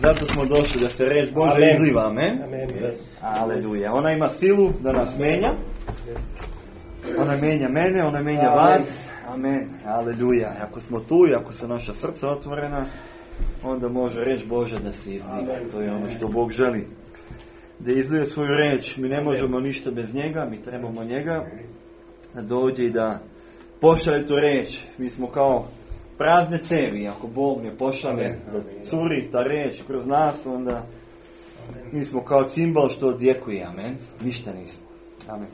Zato smo došli da se reč Božja izliva, amen. Aleluja. Ona ima silu da nas menja. Ona menja mene, ona menja vas. Amen. Aleluja. Ako smo tu i ako su naša srca otvorena, onda može reč Božja da se izliva. To je ono što Bog želi. Da izlije svoju reč. Mi ne možemo ništa bez njega, mi trebamo njega da dođe i da pošalje tu reč. Mi smo kao prazne cevi, ako Bog ne pošalje da curi ta reč kroz nas, onda mi smo kao cimbal što odjekuje, amen. Ništa nismo. Amen.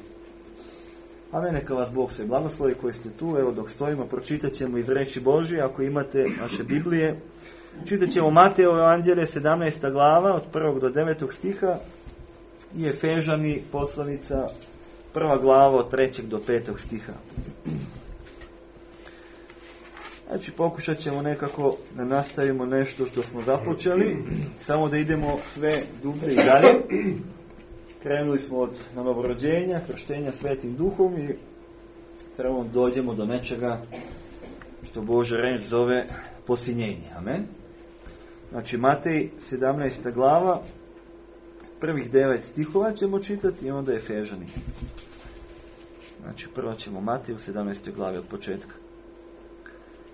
Amen, neka vas Bog sve blagoslovi koji ste tu. Evo dok stojimo, pročitat ćemo iz reči Božje, ako imate naše Biblije. Čitat ćemo Mateovo evanđelje 17. glava od 1. do 9. stiha i Efežani poslanica 1. glava od 3. do 5. stiha. Znači pokušat ćemo nekako da nastavimo nešto što smo započeli, samo da idemo sve dublje i dalje. Krenuli smo od novorođenja, krštenja Svetim Duhom i trebamo dođemo do nečega što Božja reč zove posinjenje. Amen. Znači Matej 17. glava, prvih 9 stihova ćemo čitati i onda Efežani. Znači prvo ćemo Matej u 17. glavi od početka.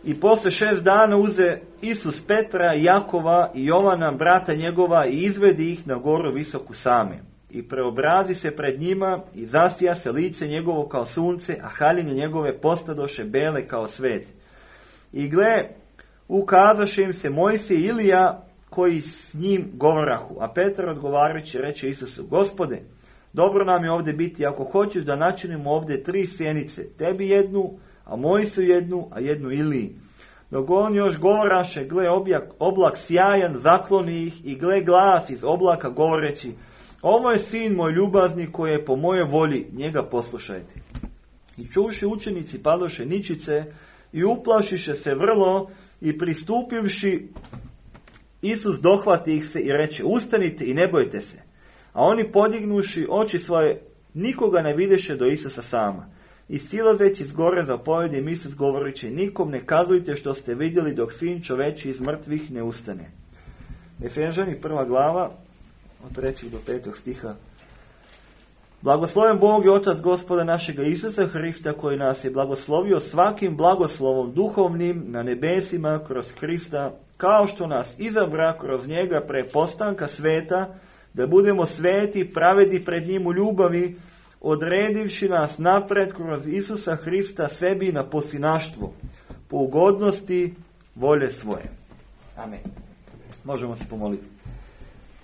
I posle 6 dana uze Isus Petra, Jakova i Jovana, brata njegova, i izvedi ih na goru visoku same. I preobrazi se pred njima i zasija se lice njegovo kao sunce, a haljine njegove postadoše bele kao svet. I gle, ukazaše im se Mojsije i Ilija, koji s njim govorahu. A Petar odgovarajući reče Isusu: Gospode, dobro nam je ovdje biti, ako hoćeš da načinimo ovdje 3 sjenice, tebi jednu, a Mojsiju jednu, a jednu Iliji. Dok on još govoraše, gle, oblak sjajan zakloni ih, i gle, glas iz oblaka govoreći: ovo je sin moj ljubazni, koji je po mojoj volji, njega poslušajte. I čuši učenici padoše ničice i uplašiše se vrlo, i pristupivši Isus dohvati ih se i reče: ustanite i ne bojte se. A oni podignuši oči svoje, nikoga ne videše do Isusa sama. I silazeći s gore zapovedi im Isus govoreći: nikom ne kazujte što ste vidjeli dok sin čoveči iz mrtvih ne ustane. Efežani 1. glava od 3. do 5. stiha. Blagosloven Bog i Otac Gospoda našega Isusa Hrista, koji nas je blagoslovio svakim blagoslovom duhovnim na nebesima kroz Hrista, kao što nas izabra kroz njega pre postanka sveta, da budemo sveti, pravedni pred njim u ljubavi, odredivši nas napred kroz Isusa Hrista sebi na posinaštvo, po ugodnosti volje svoje. Amen. Možemo se pomoliti.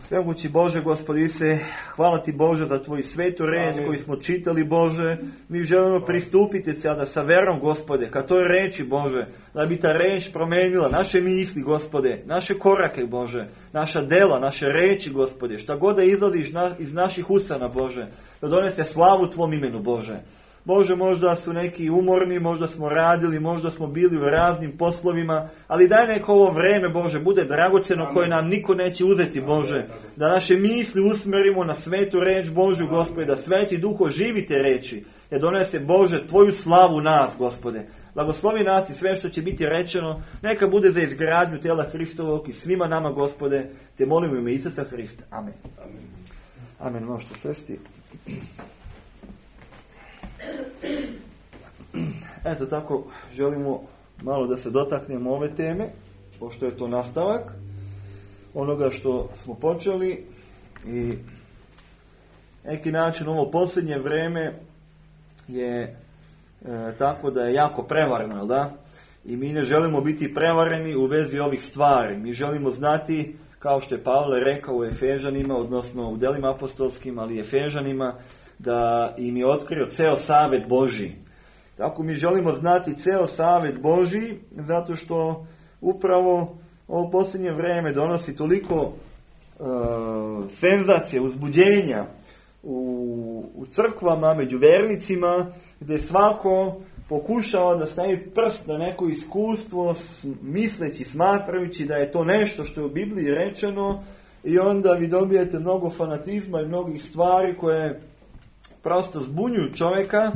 Svemogući Bože, Gospodi Ise, hvala Ti Bože za Tvoju svetu reč koju smo čitali, Bože. Mi želimo pristupiti sada sa verom, Gospode, ka toj reči, Bože, da bi ta reč promenila naše misli, Gospode, naše korake, Bože, naša dela, naše reči, Gospode, šta god da izlazi iz naših usana, Bože, da donese slavu Tvom imenu, Bože. Bože, možda su neki umorni, možda smo radili, možda smo bili u raznim poslovima, ali daj neko ovo vreme, Bože, bude dragocjeno koje nam niko neće uzeti, Bože. Da naše misli usmerimo na svetu reč Božju, Gospode, da Sveti Duh oživi te reči, da donese, Bože, Tvoju slavu nas, Gospode. Blagoslovi nas i sve što će biti rečeno, neka bude za izgradnju tela Hristovog i svima nama, Gospode, te molimo u ime Isusa Hrista. Amen. Amen. Možete sesti. Eto tako, želimo malo da se dotaknemo ove teme, pošto je to nastavak onoga što smo počeli i neki način ovo posljednje vreme je tako da je jako prevareno, da? I mi ne želimo biti prevareni u vezi ovih stvari. Mi želimo znati, kao što je Pavle rekao u Efežanima, odnosno u delima apostolskim, ali i Efežanima, da im je otkrio ceo savet Božji. Tako mi želimo znati ceo savet Božji, zato što upravo ovo posljednje vreme donosi toliko senzacije, uzbuđenja u crkvama, među vernicima, gdje svako pokušava da stavi prst na neko iskustvo, misleći, smatrajući da je to nešto što je u Bibliji rečeno, i onda vi dobijete mnogo fanatizma i mnogih stvari koje prosto zbunjuju čovjeka,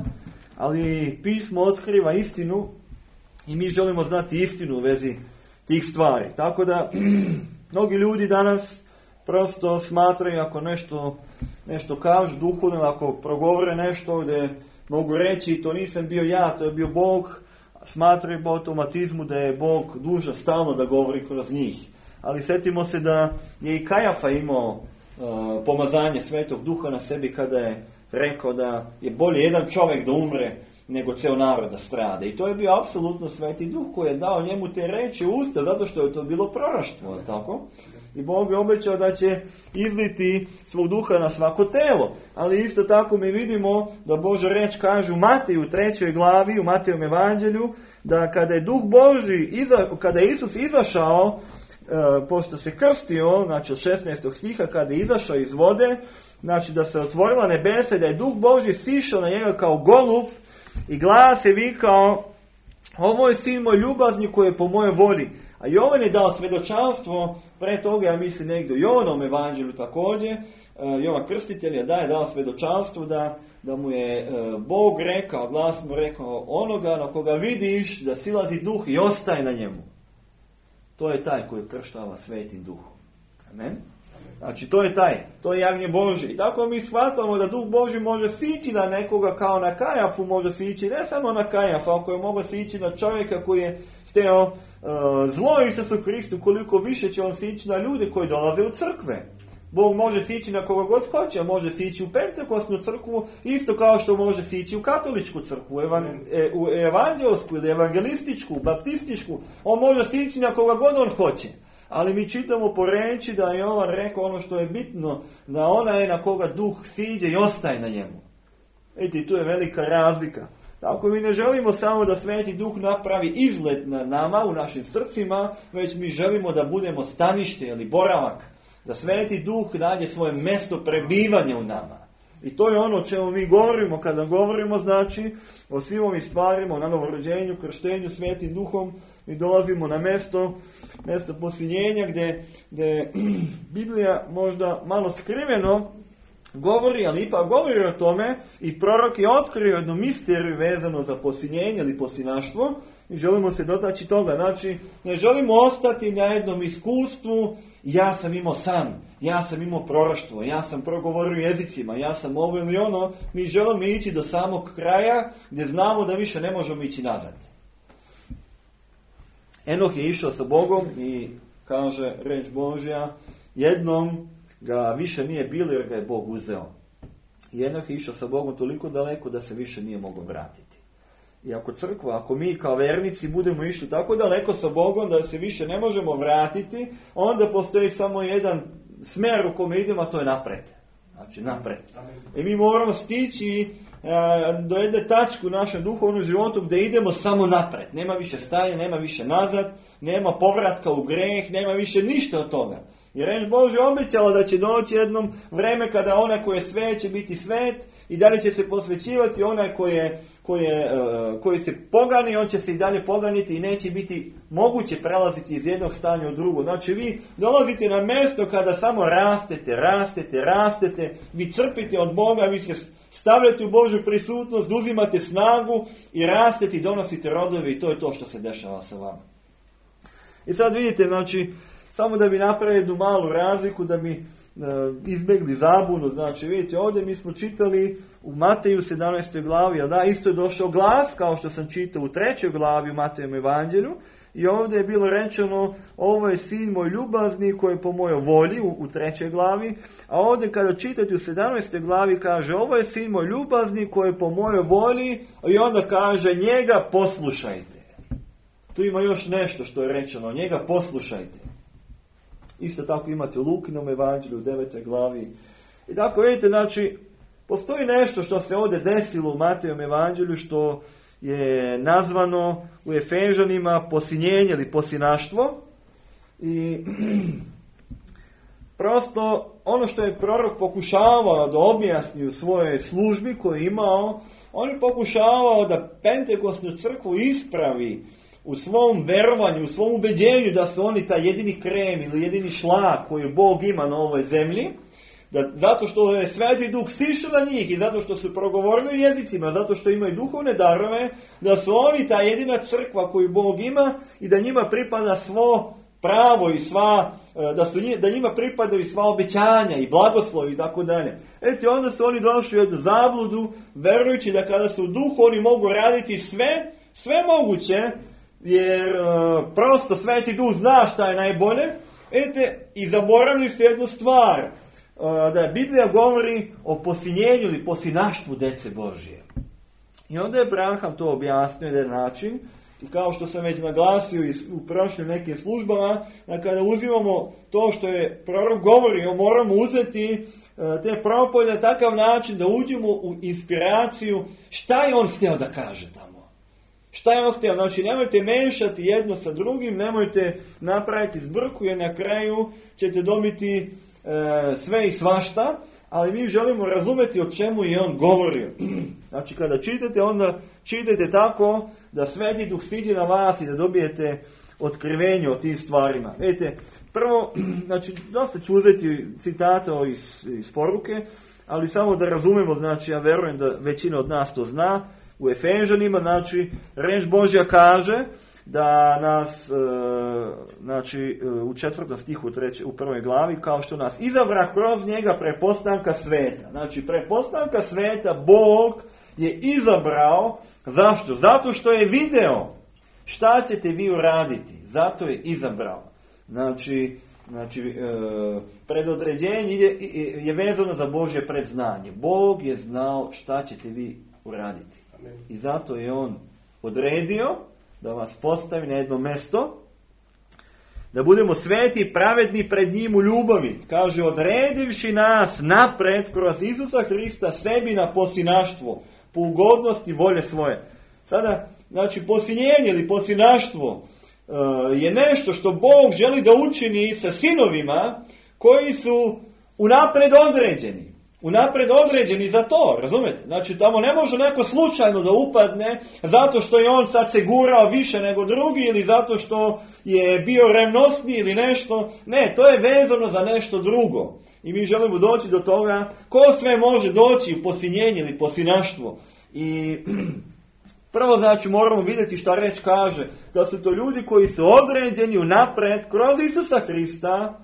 ali pismo otkriva istinu i mi želimo znati istinu u vezi tih stvari. Tako da mnogi ljudi danas prosto smatraju, ako nešto kažu duhovno, ako progovore nešto gdje mogu reći to nisam bio ja, to je bio Bog, smatraju po automatizmu da je Bog dužan stalno da govori kroz njih. Ali sjetimo se da je i Kajafa imao pomazanje Svetog Duha na sebi kada je rekao da je bolje jedan čovjek da umre nego ceo narod da strada. I to je bio apsolutno Sveti Duh koji je dao njemu te reči u usta, zato što je to bilo proroštvo, tako? I Bog je obećao da će izliti svog duha na svako telo. Ali isto tako mi vidimo da Božja reč kaže u Mateju 3. glavi, u Matejovom evanđelju, da kada je Duh Božji, kada je Isus izašao, pošto se krstio, znači od 16. stiha, kada je izašao iz vode, znači da se otvorila nebesa i da je Duh Božji sišao na njega kao golub i glas je vikao: ovo je sin moj ljubazni koji je po mojoj volji. A Jovan je dao svjedočanstvo pre toga, ja mislim negdje u Jovanovom evanđelju također, Jovan Krstitelj je dao svjedočanstvo da mu je Bog rekao, glas mu rekao: onoga na koga vidiš da silazi duh i ostaje na njemu, to je taj koji krštava Svetim Duhom. Amen. Znači to je jagnje Božje. I tako mi shvatamo da Duh Božji može sići na nekoga kao na Kajafu, može sići ne samo na Kajafa, ako je mogao sići na čovjeka koji je hteo zlo Isusu Hristu, koliko više će on sići na ljude koji dolaze u crkve. Bog može sići na koga god hoće, može sići u Pentekosnu crkvu, isto kao što može sići u katoličku crkvu, u evanđelsku ili evangelističku, baptističku. On može sići na koga god on hoće. Ali mi čitamo po reči da je Jovan rekao ono što je bitno, da ona je na koga duh siđe i ostaje na njemu. Vidite, tu je velika razlika. Tako mi ne želimo samo da Sveti Duh napravi izlet na nama, u našim srcima, već mi želimo da budemo stanište ili boravak. Da Sveti Duh nađe svoje mjesto prebivanja u nama. I to je ono o čemu mi govorimo kada govorimo, znači, o svim ovim stvarima, o novorođenju, krštenju Svetim Duhom. Mi dolazimo na mjesto posiljenja gdje Biblija možda malo skriveno govori, ali ipak govori o tome i prorok je otkrio jednu misteriju vezano za posiljenje ili posinaštvo i želimo se dotaći toga. Znači, ne želimo ostati na jednom iskustvu: ja sam imao san, ja sam imao proroštvo, ja sam progovorio jezicima, ja sam ovo ili ono. Mi želimo ići do samog kraja gdje znamo da više ne možemo ići nazad. Enoh je išao sa Bogom i kaže reč Božja, jednom ga više nije bilo jer ga je Bog uzeo. I Enoh je išao sa Bogom toliko daleko da se više nije mogao vratiti. I ako crkva, ako mi kao vernici budemo išli tako daleko sa Bogom da se više ne možemo vratiti, onda postoji samo jedan smjer u kome idemo, a to je napred. Znači napred. I mi moramo stići do jedne tačke u našem duhovnom životu gdje idemo samo napred. Nema više stajanja, nema više nazad, nema povratka u greh, nema više ništa od toga. Jer riječ Božja obećala da će doći jednom vreme kada onaj koji je svet će biti svet i dalje će se posvećivati, onaj koji se pogani, on će se i dalje poganiti i neće biti moguće prelaziti iz jednog stanja u drugo. Znači vi dolazite na mjesto kada samo rastete, vi crpite od Boga, vi se stavljate u Božju prisutnost, uzimate snagu i rastete i donosite rodove i to je to što se dešava sa vama. I sad vidite, znači, samo da bi napravili jednu malu razliku, da bi izbjegli zabunu, znači vidite, ovdje mi smo čitali u Mateju 17. glavi, isto je došao glas, kao što sam čitao u 3. glavi u Matejem evanđelju, i ovdje je bilo rečeno, ovo je sin moj ljubazni koji je po mojoj volji u 3. glavi, a ovdje kada čitate u 17. glavi kaže, ovo je sin moj ljubazni koji je po mojoj volji, i onda kaže, njega poslušajte. Tu ima još nešto što je rečeno, njega poslušajte. Isto tako imate u Lukinom evanđelju u 9. glavi. I tako vidite, znači, postoji nešto što se ovdje desilo u Matejem evanđelju što je nazvano u Efežanima posinjenje ili posinaštvo. I prosto ono što je prorok pokušavao da objasni u svojoj službi koju je imao, on je pokušavao da Pentekostnu crkvu ispravi u svom verovanju, u svom ubeđenju da su oni taj jedini krem ili jedini šlag koji Bog ima na ovoj zemlji, zato što je Sveti Duh sišao na njih i zato što su progovorili u jezicima, zato što imaju duhovne darove, da su oni ta jedina crkva koju Bog ima i da njima pripada svo pravo i da njima pripadaju sva obećanja i blagoslovi i tako dalje. Eto, onda su oni došli u jednu zabludu, verujući da kada su u duhu oni mogu raditi sve moguće, jer prosto Sveti Duh zna šta je najbolje. I zaboravili se jednu stvar, da Biblija govori o posinjenju ili posinaštvu dece Božje. I onda je Branham to objasnio na jedan način, i kao što sam već naglasio u prošlim nekim službama, da kada uzimamo to što je prorok govorio, moramo uzeti te propolje na takav način da uđemo u inspiraciju šta je on htio da kaže tamo. Šta je on htio? Znači, nemojte mešati jedno sa drugim, nemojte napraviti zbrku, jer na kraju ćete dobiti sve i svašta, ali mi želimo razumjeti o čemu je on govorio. Znači, kada čitate, onda čitajte tako da Sveti Duh siđe na vas i da dobijete otkrivenje o tim stvarima. Vidite, prvo, znači, dosta ću uzeti citata iz poruke, ali samo da razumemo, znači, ja verujem da većina od nas to zna, u Efežanima, znači, riječ Božja kaže da nas, znači, u 4. stihu u 1. glavi, kao što nas izabra kroz njega prepostanka sveta. Znači, prepostanka sveta Bog je izabrao. Zašto? Zato što je video šta ćete vi uraditi. Zato je izabrao. Znači, predodređenje je vezano za Božje predznanje. Bog je znao šta ćete vi uraditi. I zato je on odredio da vas postavi na jedno mjesto, da budemo sveti i pravedni pred njim u ljubavi. Kaže, odredivši nas napred kroz Isusa Hrista sebi na posinaštvo, po ugodnosti volje svoje. Sada, znači, posinjenje ili posinaštvo je nešto što Bog želi da učini sa sinovima koji su unapred određeni. Unapred određeni za to, razumete? Znači, tamo ne može neko slučajno da upadne zato što je on sad se gurao više nego drugi ili zato što je bio revnosniji ili nešto. Ne, to je vezano za nešto drugo. I mi želimo doći do toga ko sve može doći u posinjenje ili posinaštvo. I prvo, znači, moramo vidjeti šta reč kaže, da su to ljudi koji su određeni unapred kroz Isusa Hrista.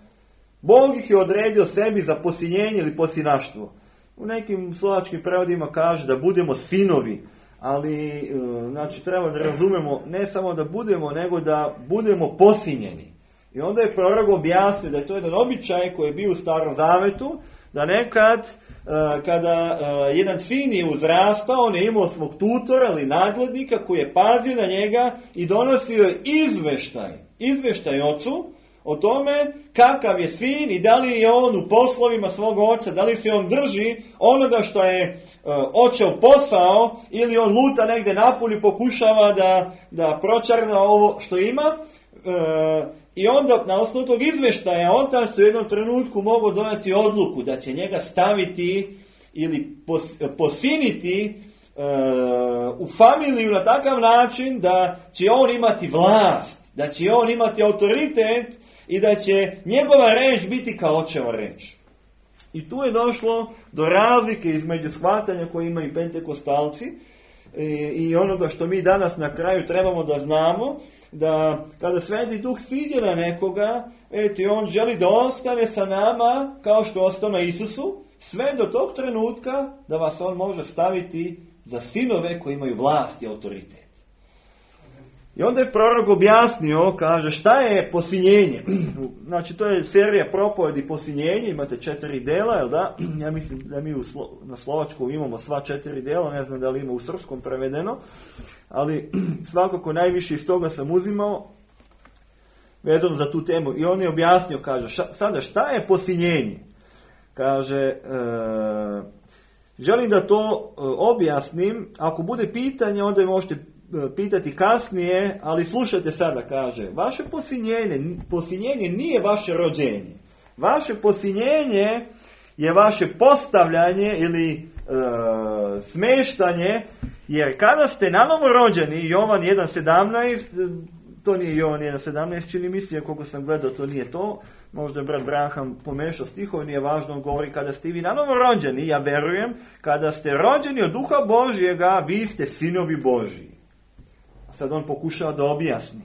Bog ih je odredio sebi za posinjenje ili posinaštvo. U nekim slovačkim prevodima kaže da budemo sinovi, ali znači treba da razumemo ne samo da budemo, nego da budemo posinjeni. I onda je prorok objasnio da je to jedan običaj koji je bio u Starom Zavetu, da nekad kada jedan sin je uzrastao, on je imao svog tutora ili nadglednika koji je pazio na njega i donosio izveštaj ocu o tome kakav je sin i da li je on u poslovima svog oca, da li se on drži onoga što je očev posao ili on luta negdje napolju, pokušava da pročarna ovo što ima. I onda na osnovu tog izvještaja otac u jednom trenutku mogao donijeti odluku da će njega staviti ili posiniti u familiju na takav način da će on imati vlast, da će on imati autoritet i da će njegova reč biti kao očeva reč. I tu je došlo do razlike između shvatanja koje imaju pentekostalci i onoga što mi danas na kraju trebamo da znamo, da kada Sveti Duh siđe na nekoga, on želi da ostane sa nama kao što ostao na Isusu, sve do tog trenutka da vas on može staviti za sinove koji imaju vlast i autoritet. I onda je prorok objasnio, kaže, šta je posinjenje? Znači, to je serija propovedi posinjenje, imate 4 dela, jel da? Ja mislim da mi na slovačkom imamo sva 4 dela, ne znam da li ima u srpskom prevedeno, ali svakako najviše iz toga sam uzimao vezano za tu temu. I on je objasnio, kaže, sada šta je posinjenje? Kaže, želim da to objasnim, ako bude pitanje, onda je možete pitati kasnije, ali slušajte sada, kaže, vaše posinjenje nije vaše rođenje. Vaše posinjenje je vaše postavljanje ili smeštanje, jer kada ste nanovo rođeni, Jovan 1.17, to nije Jovan 1.17, čini mi se, koliko sam gledao, to nije to, možda je brat Braham pomešao stihove, nije važno, on govori kada ste vi nanovo rođeni, ja verujem, kada ste rođeni od Duha Božjega, vi ste sinovi Božji. Sad on pokušava da objasni.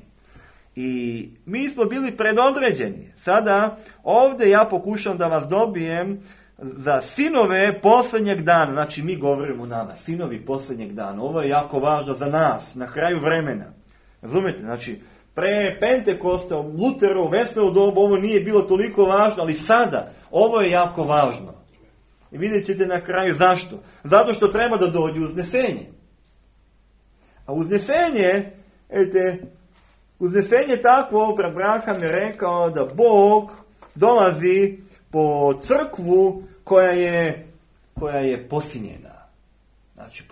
I mi smo bili predodređeni. Sada ovdje ja pokušam da vas dobijem za sinove posljednjeg dana. Znači mi govorimo nama, sinovi posljednjeg dana. Ovo je jako važno za nas, na kraju vremena. Razumijete? Znači, pre Pentekosta, Luteru, Vesnovu dobu, ovo nije bilo toliko važno, ali sada, ovo je jako važno. I vidjet ćete na kraju zašto. Zato što treba da dođe uznesenje. A uznesenje takvo, brat Braham je rekao da Bog dolazi po crkvu koja je posinjena. Znači,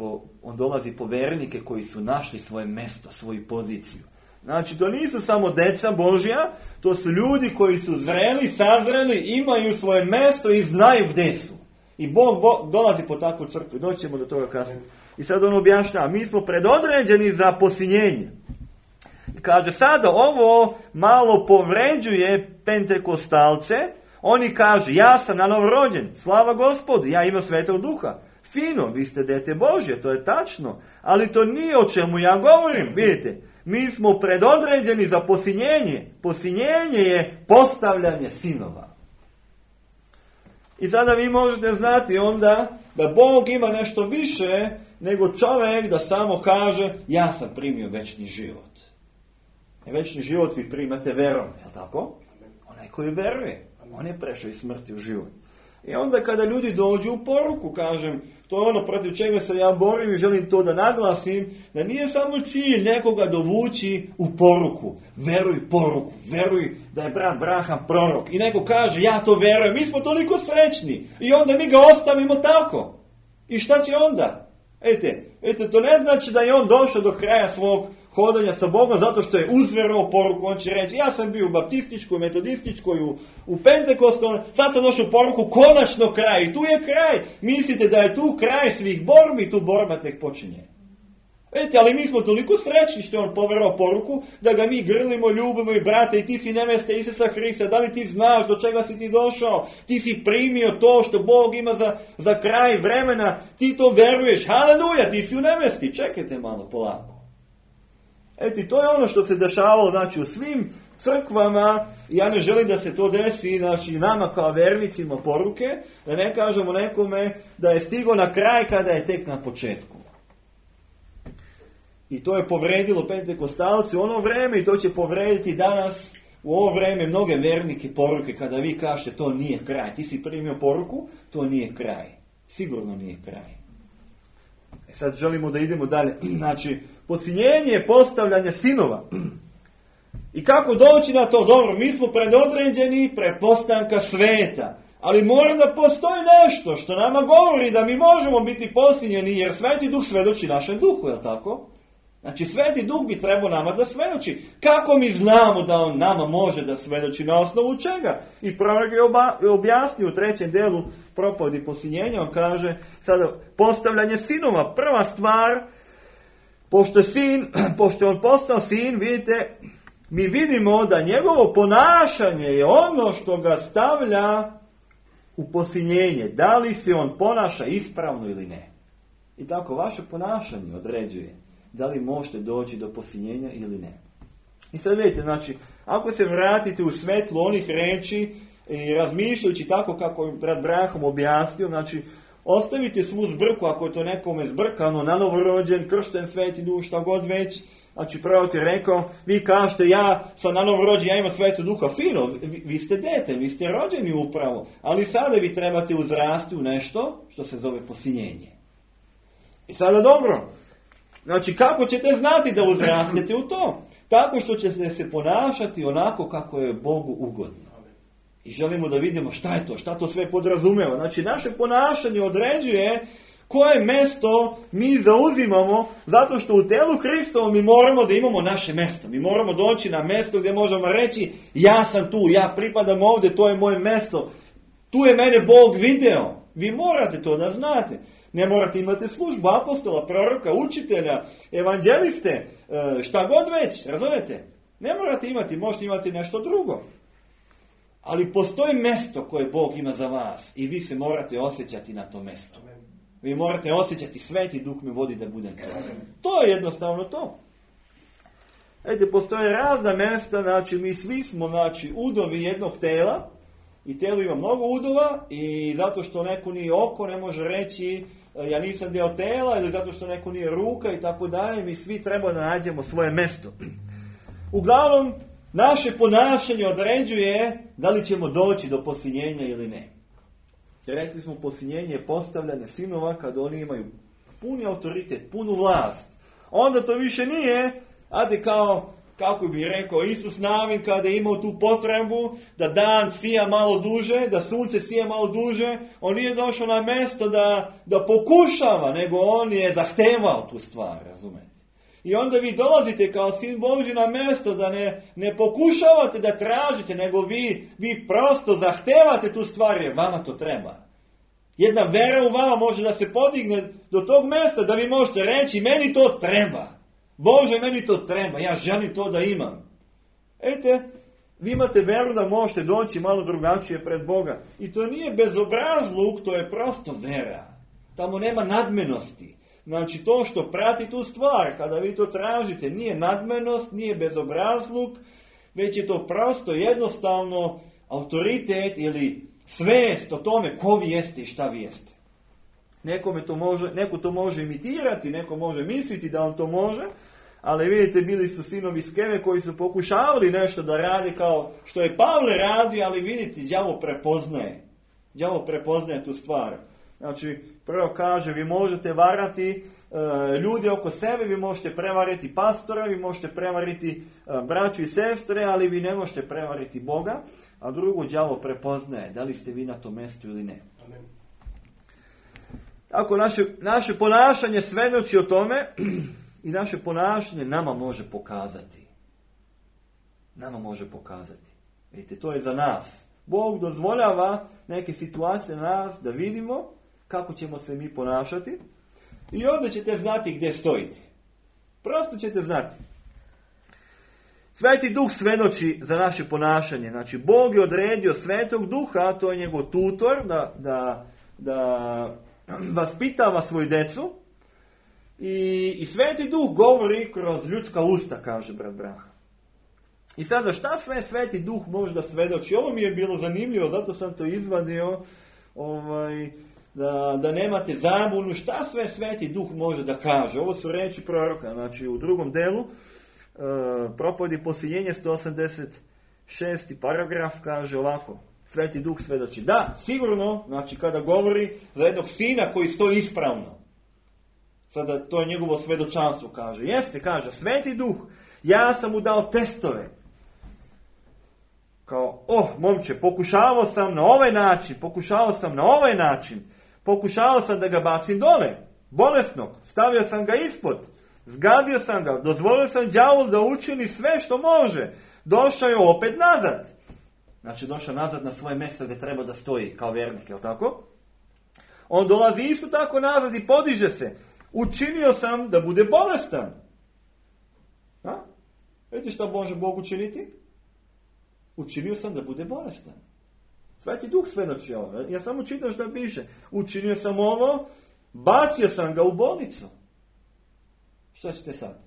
on dolazi po vernike koji su našli svoje mesto, svoju poziciju. Znači, to nisu samo deca Božja, to su ljudi koji su zreli, sazreli, imaju svoje mesto i znaju gdje su. I Bog dolazi po takvu crkvu. Doćemo do toga kasnije. I sad on objašnjava, mi smo predodređeni za posinjenje. I kaže, sada ovo malo povređuje pentekostalce. Oni kažu, ja sam novorođen, slava Gospodu, ja imam Svetog Duha. Fino, vi ste dete Božje, to je tačno. Ali to nije o čemu ja govorim, vidite. Mi smo predodređeni za posinjenje. Posinjenje je postavljanje sinova. I sada vi možete znati onda da Bog ima nešto više nego čovjek da samo kaže ja sam primio večni život. Večni život vi primate verom, je li tako? Onaj koji veruje, on je prešao iz smrti u život. I onda kada ljudi dođu u poruku, kažem, to je ono protiv čega se ja borim i želim to da naglasim, da nije samo cilj nekoga dovući u poruku. Veruj poruku, veruj da je brat Braham prorok. I neko kaže, ja to verujem, mi smo toliko srećni. I onda mi ga ostavimo tako. I šta će onda? Ete, to ne znači da je on došao do kraja svog hodanja sa Bogom zato što je uzverovao poruku. On će reći, ja sam bio u baptističkoj, metodističkoj, u pentekostalnoj, sad sam došao u poruku, konačno kraj. I tu je kraj. Mislite da je tu kraj svih borbi, tu borba tek počinje. Ali mi smo toliko srećni što je on poverovao poruku, da ga mi grlimo, ljubimo i brate, i ti si nevesta Isusa Hrista, da li ti znaš do čega si ti došao, ti si primio to što Bog ima za kraj vremena, ti to veruješ, haleluja, ti si u nevesti, čekajte malo, polako. To je ono što se dešavalo, znači, u svim crkvama, ja ne želim da se to desi, znači, nama kao vernicima poruke, da ne kažemo nekome da je stigao na kraj kada je tek na početku. I to je povredilo pentekostalci u ono vreme i to će povrediti danas u ovo vreme mnoge vernike poruke kada vi kažete to nije kraj. Ti si primio poruku, to nije kraj. Sigurno nije kraj. Sad želimo da idemo dalje. Znači, posinjenje je postavljanje sinova. I kako doći na to? Dobro, mi smo predodređeni prepostanka sveta. Ali mora da postoji nešto što nama govori da mi možemo biti posljednjeni, jer Sveti Duh svedoči našem duhu, je li tako? Znači, Sveti Duh bi trebao nama da svedoči. Kako mi znamo da on nama može da svedoči, na osnovu čega? I prorok je objasnio u 3. delu propovedi posljednjenja, on kaže, sada, postavljanje sinova, prva stvar, pošto je on postao sin, vidite, mi vidimo da njegovo ponašanje je ono što ga stavlja u posiljenje. Da li se on ponaša ispravno ili ne. I tako vaše ponašanje određuje da li možete doći do posiljenja ili ne. I sad vidite, znači, ako se vratite u svetlo onih reči i razmišljajući tako kako je brat Brahom objasnio, znači, ostavite svu zbrku, ako je to nekome zbrkano, na novorođen, kršten, Sveti Duh, šta god već. Znači, prorok je rekao, vi kažete, ja sam na novorođen, ja imam Svetog Duha. Fino, vi ste dete, vi ste rođeni upravo, ali sada vi trebate uzrasti u nešto što se zove posiljenje. I sada dobro, znači, kako ćete znati da uzrastete u to? Tako što ćete se ponašati onako kako je Bogu ugodno. I želimo da vidimo šta je to, šta to sve podrazumeva. Znači, naše ponašanje određuje koje mesto mi zauzimamo, zato što u telu Hristovom mi moramo da imamo naše mesto. Mi moramo doći na mesto gdje možemo reći, ja sam tu, ja pripadam ovdje, to je moje mesto. Tu je mene Bog video. Vi morate to da znate. Ne morate imati službu apostola, proroka, učitelja, evanđeliste, šta god već, razumete? Ne morate imati, možete imati nešto drugo. Ali postoji mesto koje Bog ima za vas i vi se morate osjećati na tom mestu. Vi morate osjećati, Sveti Duh me vodi da budem to. To je jednostavno to. Vidite, postoje razna mjesta, znači mi svi smo, znači, udovi jednog tela i telo ima mnogo udova i zato što neko nije oko ne može reći ja nisam dio tela ili zato što neko nije ruka i tako dalje, mi svi treba da nađemo svoje mjesto. Uglavnom, naše ponašanje određuje da li ćemo doći do posiljenja ili ne. Jer rekli smo, posiljenje je postavljanje sinova kad oni imaju puni autoritet, punu vlast. Onda to više nije, ajde kao, kako bi rekao, Isus navin kada je imao tu potrebu da dan sija malo duže, da sunce sija malo duže, on nije došao na mjesto da pokušava, nego on je zahtevao tu stvar, razumete? I onda vi dolazite kao sin Božji na mjesto da ne pokušavate da tražite, nego vi prosto zahtevate tu stvar jer vama to treba. Jedna vera u vama može da se podigne do tog mjesta da vi možete reći meni to treba. Bože, meni to treba, ja želim to da imam. Ejte, vi imate veru da možete doći malo drugačije pred Boga. I to nije bezobrazluk, to je prosto vera. Tamo nema nadmenosti. Znači to što prati tu stvar, kada vi to tražite, nije nadmenost, nije bezobrazluk, već je to prosto jednostavno autoritet ili svest o tome ko vi jeste i šta vi jeste. Neko to može imitirati, neko može misliti da on to može, ali vidite, bili su sinovi Skeve koji su pokušavali nešto da rade kao što je Pavle radio, ali vidite, đavo prepoznaje. Đavo prepoznaje tu stvar. Znači, prvo kaže, vi možete varati ljude oko sebe, vi možete prevariti pastora, vi možete prevariti braću i sestre, ali vi ne možete prevariti Boga. A drugo, đavo prepoznaje, da li ste vi na tom mjestu ili ne. Amen. Tako, naše ponašanje svedoči o tome i naše ponašanje nama može pokazati. Nama može pokazati. Vidite, to je za nas. Bog dozvoljava neke situacije na nas da vidimo kako ćemo se mi ponašati i onda ćete znati gdje stojite. Prosto ćete znati. Sveti Duh svedoči za naše ponašanje. Znači, Bog je odredio Svetog Duha, to je njegov tutor, da vaspitava svoju decu. I Sveti Duh govori kroz ljudska usta, kaže brat Braha. I sada, šta sve Sveti Duh može da svedoči? Ovo mi je bilo zanimljivo, zato sam to izvadio, da nemate zabunu. Šta sve Sveti Duh može da kaže? Ovo su reči proroka, znači u drugom delu, propovedi posiljenja 186. paragraf kaže ovako. Sveti Duh svedoči. Da, sigurno, znači kada govori za jednog sina koji stoji ispravno. Sada to je njegovo svedočanstvo, kaže. Jeste, kaže, Sveti Duh, ja sam mu dao testove. kao, momče, pokušavao sam na ovaj način, pokušavao sam da ga bacim dole, bolesnog, stavio sam ga ispod, zgazio sam ga, dozvolio sam đavolu da učini sve što može, došao je opet nazad. Znači došao nazad na svoje mjesto gdje treba da stoji kao vjernik, je li tako? On dolazi isto tako nazad i podiže se. Učinio sam da bude bolestan. Vidite što može Bog učiniti? Učinio sam da bude bolestan. Sveti Duh svedoči ovo. Ja samo čitam što piše. Učinio sam ovo, bacio sam ga u bolnicu. Što ćete sad?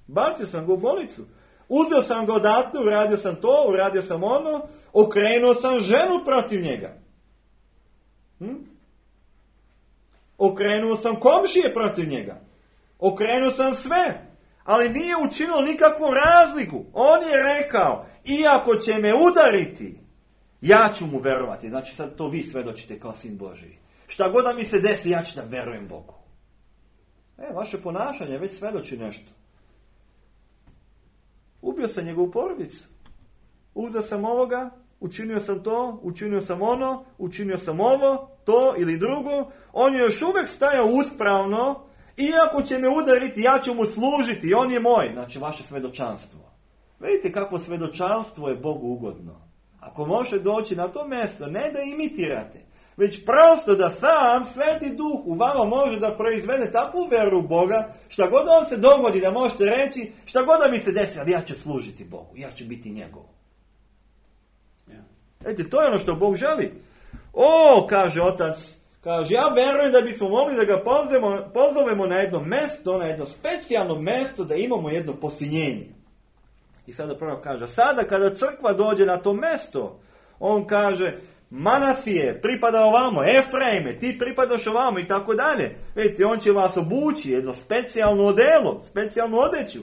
Bacio sam ga u bolnicu. Uzeo sam ga odatle, uradio sam to, uradio sam ono, okrenuo sam ženu protiv njega. Okrenuo sam komšije protiv njega. Okrenuo sam sve. Ali nije učinilo nikakvu razliku. On je rekao, iako će me udariti, ja ću mu verovati. Znači sad to vi svedočite kao sin Božiji. Šta god da mi se desi, ja ću da verujem Bogu. Vaše ponašanje već svedoči nešto. Ubio sam njegovu porodicu. Uzeo sam ovoga, učinio sam to, učinio sam ono, učinio sam ovo, to ili drugo. On je još uvijek stajao uspravno. Iako će me udariti, ja ću mu služiti, on je moj. Znači vaše svedočanstvo. Vidite kakvo svedočanstvo je Bogu ugodno. Ako može doći na to mjesto, ne da imitirate, već prosto da sam Sveti Duh u vama može da proizvede takvu vjeru u Boga, šta god on se dogodi da možete reći, šta god da mi se desi, ali ja ću služiti Bogu, ja ću biti njegov. Vidite, to je ono što Bog želi. Kaže otac, kaže, ja verujem da bismo mogli da ga pozovemo na jedno mjesto, na jedno specijalno mjesto, da imamo jedno posinjenje. I sada prvo kaže, sada kada crkva dođe na to mjesto, on kaže, Manasije, pripada ovamo, Efraime, ti pripadaš ovamo i tako dalje. Vidite, on će vas obući jedno specijalno odelo, specijalnu odeću.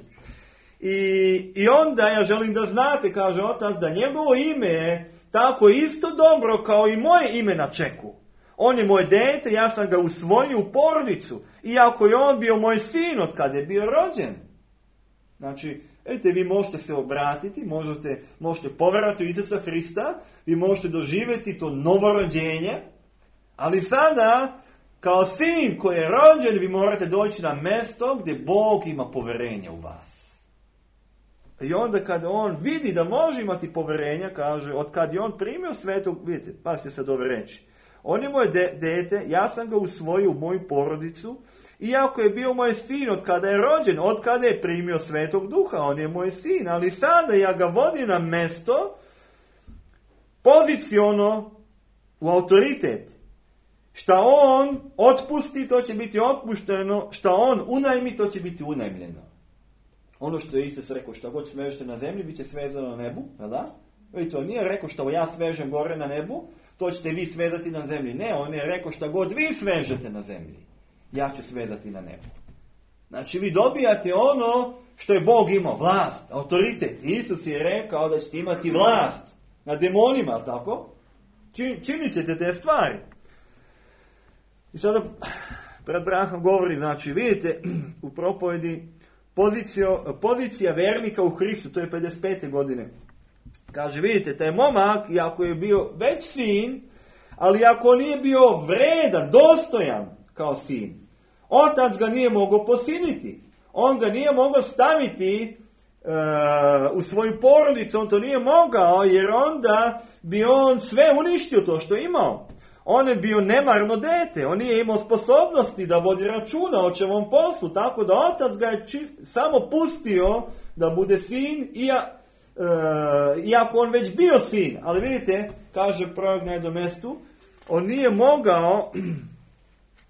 I onda ja želim da znate, kaže otac, da njegovo ime je tako isto dobro kao i moje ime na čeku. On je moje dete, ja sam ga usvojio u porodicu. Iako je on bio moj sin od kada je bio rođen. Znači, vidite, vi možete se obratiti, možete povjerovati u Isusa Hrista, vi možete doživjeti to novorođenje, ali sada, kao sin koji je rođen, vi morate doći na mjesto gdje Bog ima povjerenje u vas. I onda kad on vidi da može imati povjerenja, kaže, od kad je on primio svetog, vidite, pa se sad ove reći, on je moje dete, ja sam ga usvojio u moju porodicu, iako je bio moj sin od kada je rođen, od kada je primio Svetog Duha, on je moj sin, ali sada ja ga vodim na mjesto, poziciono, u autoritet. Šta on otpusti, to će biti otpušteno, šta on unajmi, to će biti unajmljeno. Ono što je Isus rekao, šta god svežete na zemlji, bit će svezano na nebu, da? Vidite, on nije rekao što ja svežem gore na nebu, to ćete vi svezati na zemlji. Ne, on je rekao šta god vi svežete na zemlji, ja ću svezati na nebu. Znači vi dobijate ono što je Bog imao, vlast, autoritet. Isus je rekao da ćete imati vlast nad demonima, tako? Činit ćete te stvari. I sada pred brahom govori, znači vidite u propovedi pozicija vernika u Hristu, to je 55. godine. Kaže, vidite, taj momak, iako je bio već sin, ali ako nije bio vredan, dostojan kao sin, otac ga nije mogao posiniti. On ga nije mogao staviti u svoju porodicu, on to nije mogao, jer onda bi on sve uništio to što je imao. On je bio nemarno dete, on nije imao sposobnosti da vodi računa o čevom poslu, tako da otac ga je samo pustio da bude sin, iako on već bio sin. Ali vidite, kaže prorok na jednom mjestu, on nije mogao,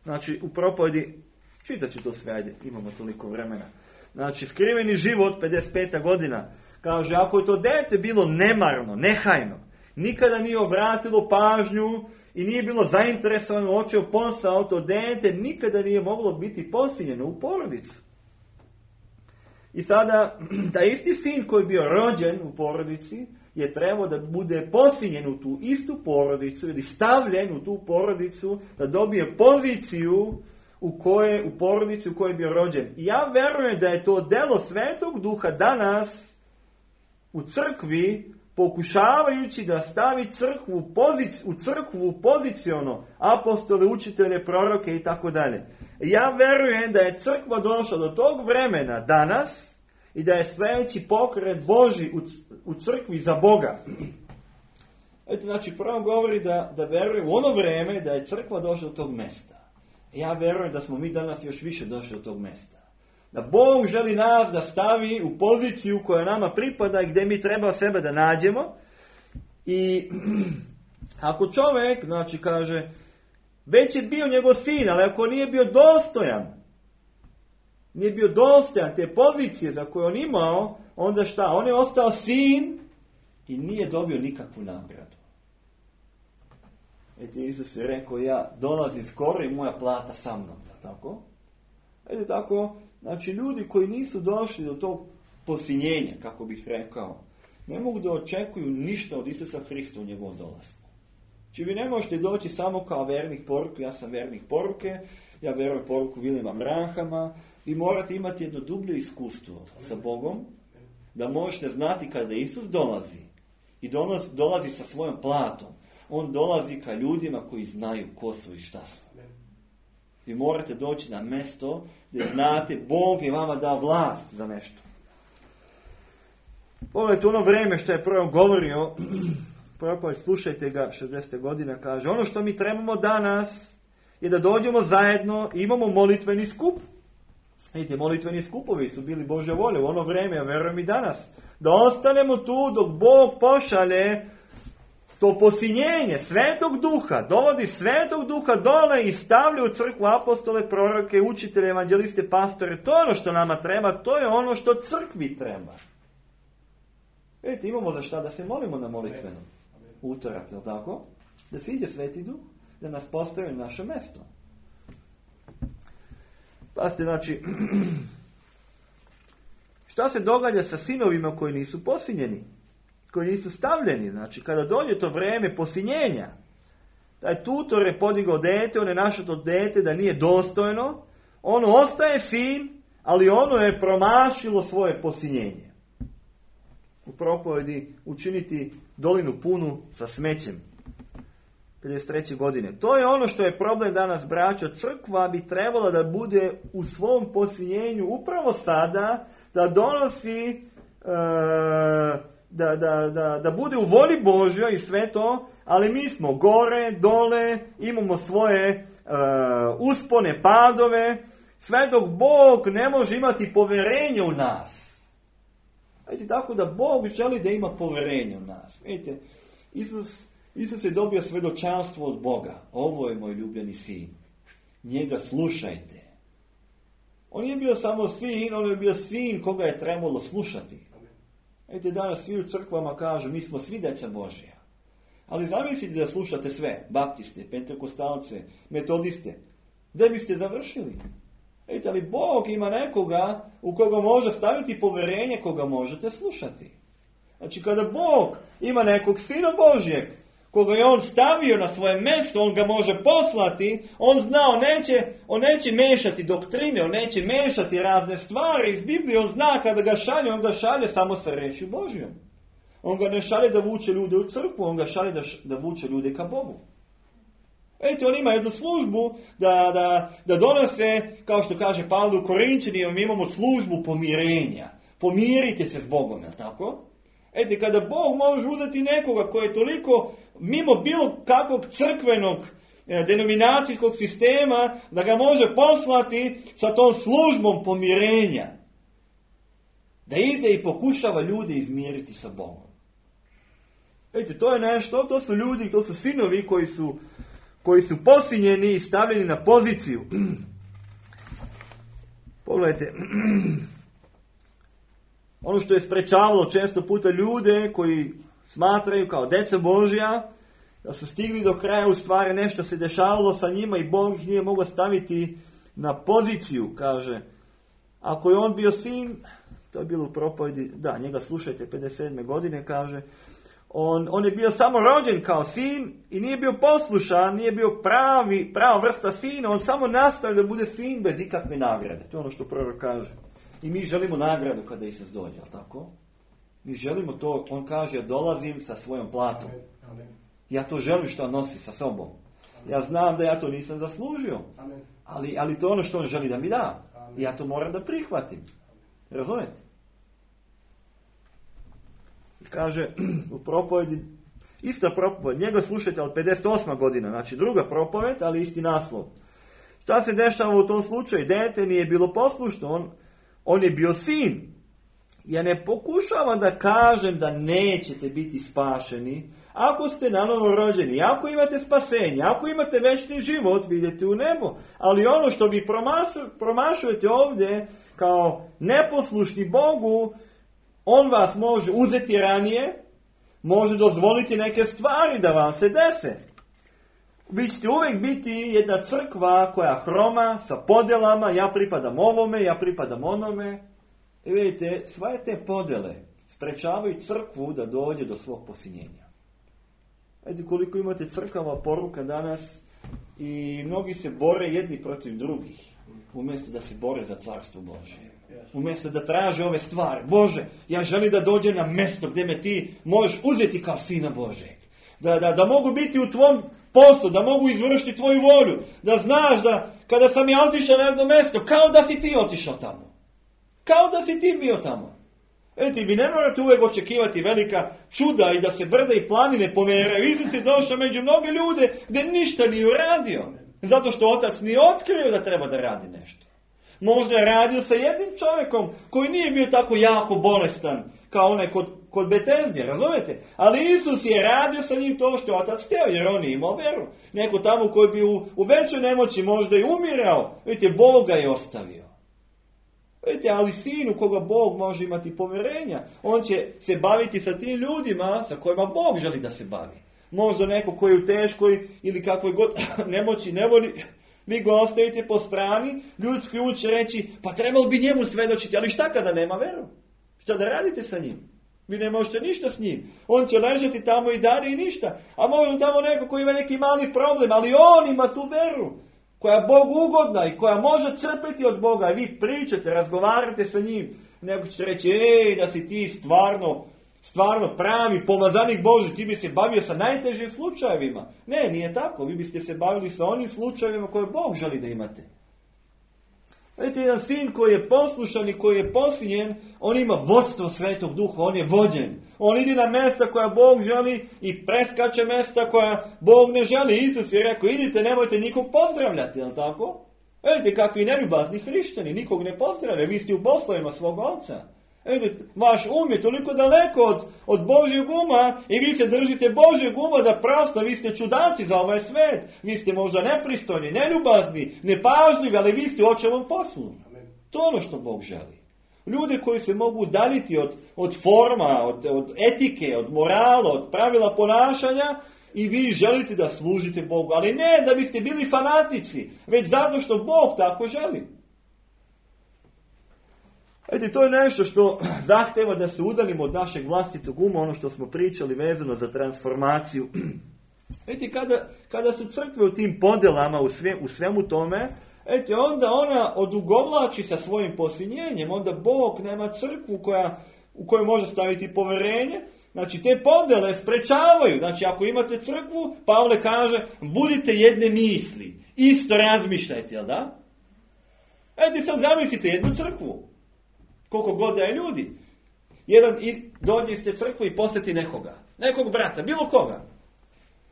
znači u propovedi, čitat ću to sve, ajde, imamo toliko vremena. Znači, skriveni život, 55. godina, kaže, ako je to dete bilo nemarno, nehajno, nikada nije obratilo pažnju i nije bilo zainteresovano, očeo posao, to dete nikada nije moglo biti posinjeno u porodicu. I sada, taj isti sin koji je bio rođen u porodici, je trebao da bude posinjen u tu istu porodicu ili stavljen u tu porodicu, da dobije poziciju u porodici u kojoj je bio rođen. I ja verujem da je to delo Svetog Duha danas u crkvi pokušavajući da stavi u crkvu poziciono apostole, učitelje, proroke i tako dalje. Ja verujem da je crkva došla do tog vremena danas i da je sljedeći pokret Božji u crkvi za Boga. Eto, znači, prvo govori da veruje u ono vrijeme da je crkva došla do tog mjesta. Ja verujem da smo mi danas još više došli do tog mjesta. Da Bog želi nas da stavi u poziciju koja nama pripada i gdje mi treba sebe da nađemo. I ako čovjek, znači, kaže, već je bio njegov sin, ali ako nije bio dostojan te pozicije za koju on imao, onda šta? On je ostao sin i nije dobio nikakvu nagradu. Eto, Isus je rekao, ja dolazim skoro i moja plata sa mnom. Tako? Eto tako, znači ljudi koji nisu došli do tog posinjenja, kako bih rekao, ne mogu da očekuju ništa od Isusa Hrista u njegovom dolasku. Znači vi ne možete doći samo kao vernik poruke, ja sam vernik poruke, ja verujem poruku Williama Branhama, vi morate imati jedno dublje iskustvo sa Bogom, da možete znati kada Isus dolazi i dolazi sa svojom platom. On dolazi ka ljudima koji znaju ko su i šta su. Vi morate doći na mjesto gdje znate Bog je vama dao vlast za nešto. Pogledajte ono vrijeme što je prvo govorio, propovijednik, slušajte ga, 60. godina, kaže, ono što mi trebamo danas je da dođemo zajedno i imamo molitveni skup. Vidite, molitveni skupovi su bili Božja volja u ono vrijeme, ja verujem i danas. Da ostanemo tu dok Bog pošalje to posinjenje Svetog Duha, dovodi Svetog Duha dole i stavlja u crkvu apostole, proroke, učitelje, evanđeliste, pastore. To je ono što nama treba, to je ono što crkvi treba. Vidite, imamo za šta da se molimo na molitvenom utorak, je li tako? Da se ide Sveti Duh, da nas postavi na naše mjesto. Pazite, znači, šta se događa sa sinovima koji nisu posinjeni? Koji nisu stavljeni, znači kada dođe to vrijeme posinjenja, taj tutor je podigao dete, on je našao to dete da nije dostojno, ono ostaje sin, ali ono je promašilo svoje posinjenje. U propovedi učiniti dolinu punu sa smećem. 53. godine. To je ono što je problem danas, braćo. Crkva bi trebala da bude u svom posinjenju upravo sada, da donosi da bude u voli Božjoj i sve to, ali mi smo gore, dole, imamo svoje uspone, padove, sve dok Bog ne može imati povjerenje u nas. Vidite, tako da Bog želi da ima povjerenje u nas. Vidite, Isus je dobio svjedočanstvo od Boga. Ovo je moj ljubljeni sin. Njega slušajte. On nije bio samo sin, on je bio sin koga je trebalo slušati. Vidite, danas svi u crkvama kažu, mi smo svi djeca Božja. Ali zamislite da slušate sve, baptiste, pentekostalce, metodiste. Gdje biste završili? Vidite, ali Bog ima nekoga u koga može staviti povjerenje, koga možete slušati. Znači, kada Bog ima nekog Sina Božjeg, koga je on stavio na svoje mjesto, on ga može poslati, on zna, on neće mešati doktrine, on neće mešati razne stvari iz Biblije, on zna kada ga šalje, on ga šalje samo sa rečju Božjom. On ga ne šalje da vuče ljude u crkvu, on ga šalje da vuče ljude ka Bogu. Vidite, on ima jednu službu da donose, kao što kaže Pavle u Korinčanima, mi imamo službu pomirenja. Pomirite se s Bogom, je li tako? Vidite, kada Bog može uzeti nekoga koji je toliko mimo bilo kakvog crkvenog denominacijskog sistema, da ga može poslati sa tom službom pomirenja. Da ide i pokušava ljude izmiriti sa Bogom. Vidite, to je nešto, to su ljudi, to su sinovi koji su posinjeni i stavljeni na poziciju. Pogledajte, ono što je sprečavalo često puta ljude koji smatraju kao djeca Božja, da su stigli do kraja, u stvari nešto se dešavalo sa njima i Bog ih nije mogao staviti na poziciju, kaže. Ako je on bio sin, to je bilo u propovedi, da, njega slušajte, 57. godine, kaže, on je bio samo rođen kao sin i nije bio poslušan, nije bio prava vrsta sina, on samo nastavio da bude sin bez ikakve nagrade. To je ono što prorok kaže. I mi želimo nagradu kada Isus dođe, ali tako? Mi želimo to, on kaže, dolazim sa svojom platom. Ja to želim što nosi sa sobom. Ja znam da ja to nisam zaslužio. Ali to je ono što on želi da mi da. I ja to moram da prihvatim. Razumete? Kaže u propovedi, ista propoved, njega slušajte od 58. godina, znači druga propoved, ali isti naslov. Šta se dešava u tom slučaju? Dete nije bilo poslušno, on je bio sin. Ja ne pokušavam da kažem da nećete biti spašeni. Ako ste nanovo rođeni, ako imate spasenje, ako imate večni život, vidite u nebo. Ali ono što vi promašujete ovdje kao neposlušni Bogu, on vas može uzeti ranije, može dozvoliti neke stvari da vam se dese. Vi ćete uvijek biti jedna crkva koja hroma sa podjelama, ja pripadam ovome, ja pripadam onome. I vidite, sve te podjele sprečavaju crkvu da dođe do svog posinjenja. Vidite koliko imate crkava poruka danas i mnogi se bore jedni protiv drugih, umjesto da se bore za carstvo Božje. Umjesto da traže ove stvari. Bože, ja želim da dođem na mjesto gdje me ti možeš uzeti kao sina Božeg. Da mogu biti u tvom poslu, da mogu izvršiti tvoju volju. Da znaš da kada sam ja otišao na jedno mjesto, kao da si ti otišao tamo. Kao da si ti bio tamo. Vidite, vi ne morate uvijek očekivati velika čuda i da se brda i planine pomeraju. Isus je došao među mnoge ljude gdje ništa nije uradio. Zato što otac nije otkrio da treba da radi nešto. Možda je radio sa jednim čovjekom koji nije bio tako jako bolestan kao onaj kod Betezdje, razumijete? Ali Isus je radio sa njim to što je otac htio, jer on je imao vjeru. Neko tamo koji bi u većoj nemoći možda i umirao, vidite, Bog ga je ostavio. Vidite, ali sin u koga Bog može imati povjerenja, on će se baviti sa tim ljudima sa kojima Bog želi da se bavi. Možda neko koji je u teškoj ili kakvoj god nemoći ne voli, vi ga ostavite po strani, ljudski um će reći, pa trebalo bi njemu svedočiti, ali šta kada nema veru? Šta da radite sa njim? Vi ne možete ništa s njim. On će ležati tamo i dalje i ništa. A možda tamo neko koji ima neki mali problem, ali on ima tu veru koja je Bogu ugodna i koja može crpiti od Boga. I vi pričate, razgovarate sa njim. Neko ćete reći, da si ti stvarno pravi pomazanik Božji, ti bi se bavio sa najtežim slučajevima. Ne, nije tako. Vi biste se bavili sa onim slučajevima koje Bog želi da imate. Vidite, jedan sin koji je poslušan i koji je posinjen, on ima vodstvo Svetog Duha, on je vođen. On ide na mjesta koja Bog želi i preskače mjesta koja Bog ne želi. Isus je rekao, idite, nemojte nikog pozdravljati, jel tako? Vidite, kakvi neljubazni hrišćani, nikog ne pozdravljaju, vi ste u poslovima svog oca. Vidite, vaš je toliko daleko od Božjeg uma i vi se držite Božjeg uma da prosto, vi ste čudaci za ovaj svet. Vi ste možda nepristojni, neljubazni, nepažljivi, ali vi ste u očevom poslu. To je ono što Bog želi. Ljude koji se mogu udaljiti od forma, od etike, od morala, od pravila ponašanja i vi želite da služite Bogu. Ali ne da biste bili fanatici, već zato što Bog tako želi. Vidite, to je nešto što zahteva da se udaljimo od našeg vlastitog uma, ono što smo pričali vezano za transformaciju. Vidite, kada su crkve u tim podjelama, u svemu tome, vidite, onda ona odugovlači sa svojim posinjenjem, onda Bog nema crkvu u kojoj može staviti povjerenje. Znači, te podjele sprečavaju. Znači, ako imate crkvu, Pavle kaže, budite jedne misli, isto razmišljajte, jel da? Vidite, sad zamislite jednu crkvu. Koliko god da je ljudi. Dođe ste crkvu i posjeti nekog brata, bilo koga.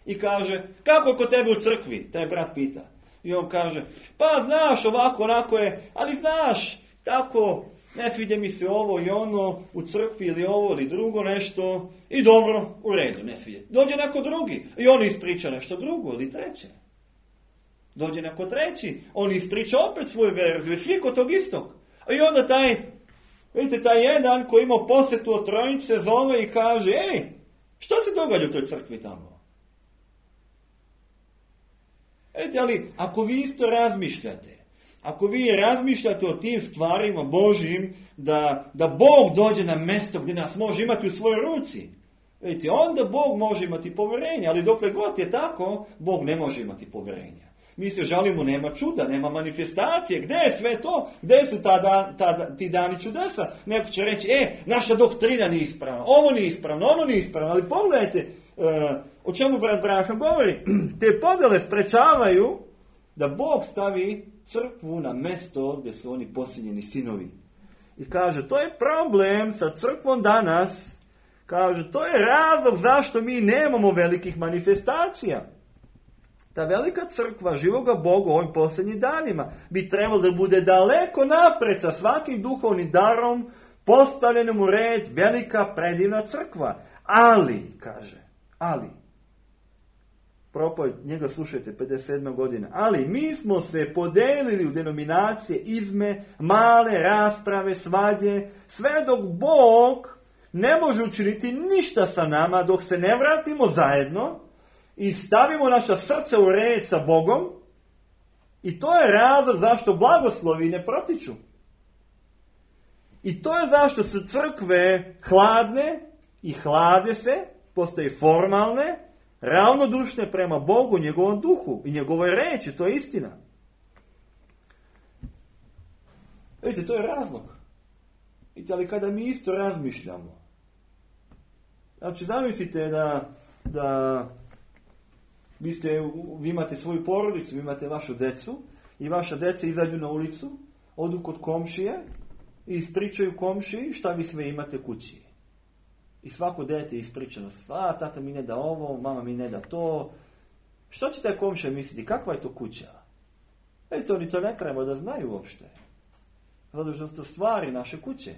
I kaže, kako je kod tebe u crkvi? Taj brat pita. I on kaže, pa znaš, ovako, onako je, ali znaš, tako, ne sviđa mi se ovo i ono u crkvi ili ovo ili drugo nešto. I dobro, u redu, ne sviđa. Dođe neko drugi i on ispriča nešto drugo ili treće. Dođe neko treći, on ispriča opet svoju verziju, svi kod tog istog. I onda vidite, taj jedan koji ima posjetu od Trojnice se zove i kaže, što se događa u toj crkvi tamo? Vidite, ali ako vi isto razmišljate, ako vi razmišljate o tim stvarima Božjim, da Bog dođe na mjesto gdje nas može imati u svojoj ruci, vidite, onda Bog može imati povjerenje, ali dokle god je tako, Bog ne može imati povjerenja. Mi se žalimo, nema čuda, nema manifestacije. Gdje je sve to? Gdje su ti dani čudesa? Neko će reći, naša doktrina nije ispravna, ovo nije ispravno, ono nije ispravno. Ali pogledajte, o čemu brat Branham govori. Te podjele sprečavaju da Bog stavi crkvu na mjesto gdje su oni posljednjeni sinovi. I kaže, to je problem sa crkvom danas. Kaže, to je razlog zašto mi nemamo velikih manifestacija. Ta velika crkva živoga Boga u ovim posljednjim danima bi trebalo da bude daleko napred sa svakim duhovnim darom, postavljenom u red, velika predivna crkva. Ali, kaže, propoved, njega slušajte, 57. godina, ali mi smo se podelili u denominacije, izme, male rasprave, svađe, sve dok Bog ne može učiniti ništa sa nama, dok se ne vratimo zajedno i stavimo naša srca u red sa Bogom. I to je razlog zašto blagoslovi ne protiču. I to je zašto su crkve hladne i hlade se, postaju formalne, ravnodušne prema Bogu, njegovom duhu i njegovoj reči. To je istina. Vidite, to je razlog. Vidite, ali kada mi isto razmišljamo, znači zamislite da vi imate svoju porodicu, vi imate vašu decu i vaša deca izađu na ulicu, odu kod komšije i ispričaju komšiji šta vi sve imate kući. I svako dete je ispričano, tata mi ne da ovo, mama mi ne da to. Što će taj komšija misliti? Kakva je to kuća? Oni to ne treba da znaju uopšte. Zato što su to stvari naše kuće.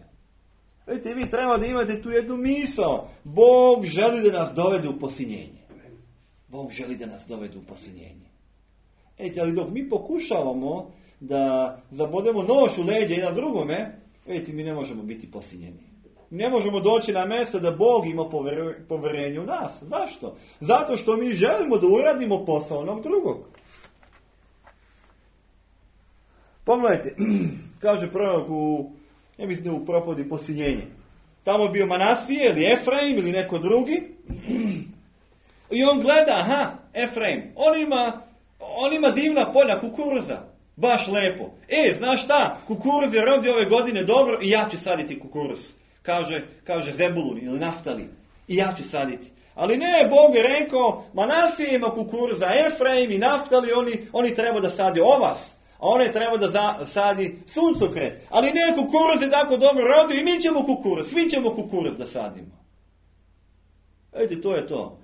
Vi treba da imate tu jednu misao. Bog želi da nas dovede u posiljenje. Bog želi da nas dovede u posiljenje. Ali dok mi pokušavamo da zabodemo nož u leđa jedan drugome, mi ne možemo biti posiljeni. Ne možemo doći na mjesto da Bog ima poverenje u nas. Zašto? Zato što mi želimo da uradimo posao onog drugog. Pogledajte, kaže prorok u propovedi posiljenje. Tamo je bio Manasije ili Efraim ili neko drugi. I on gleda, Efraim, on ima divna polja kukuruza. Baš lepo. Znaš šta? Kukuruz je rodio ove godine dobro i ja ću saditi kukuruz. Kaže Zebulun ili Naftali. I ja ću saditi. Ali ne, Bog je rekao, Manasije ima kukuruza, Efraim i Naftali, oni treba da sadi ovas. A one treba da sadi suncokret. Ali ne, kukuruz je tako dobro rodio i mi ćemo kukuruz. Svi ćemo kukuruz da sadimo. To je to.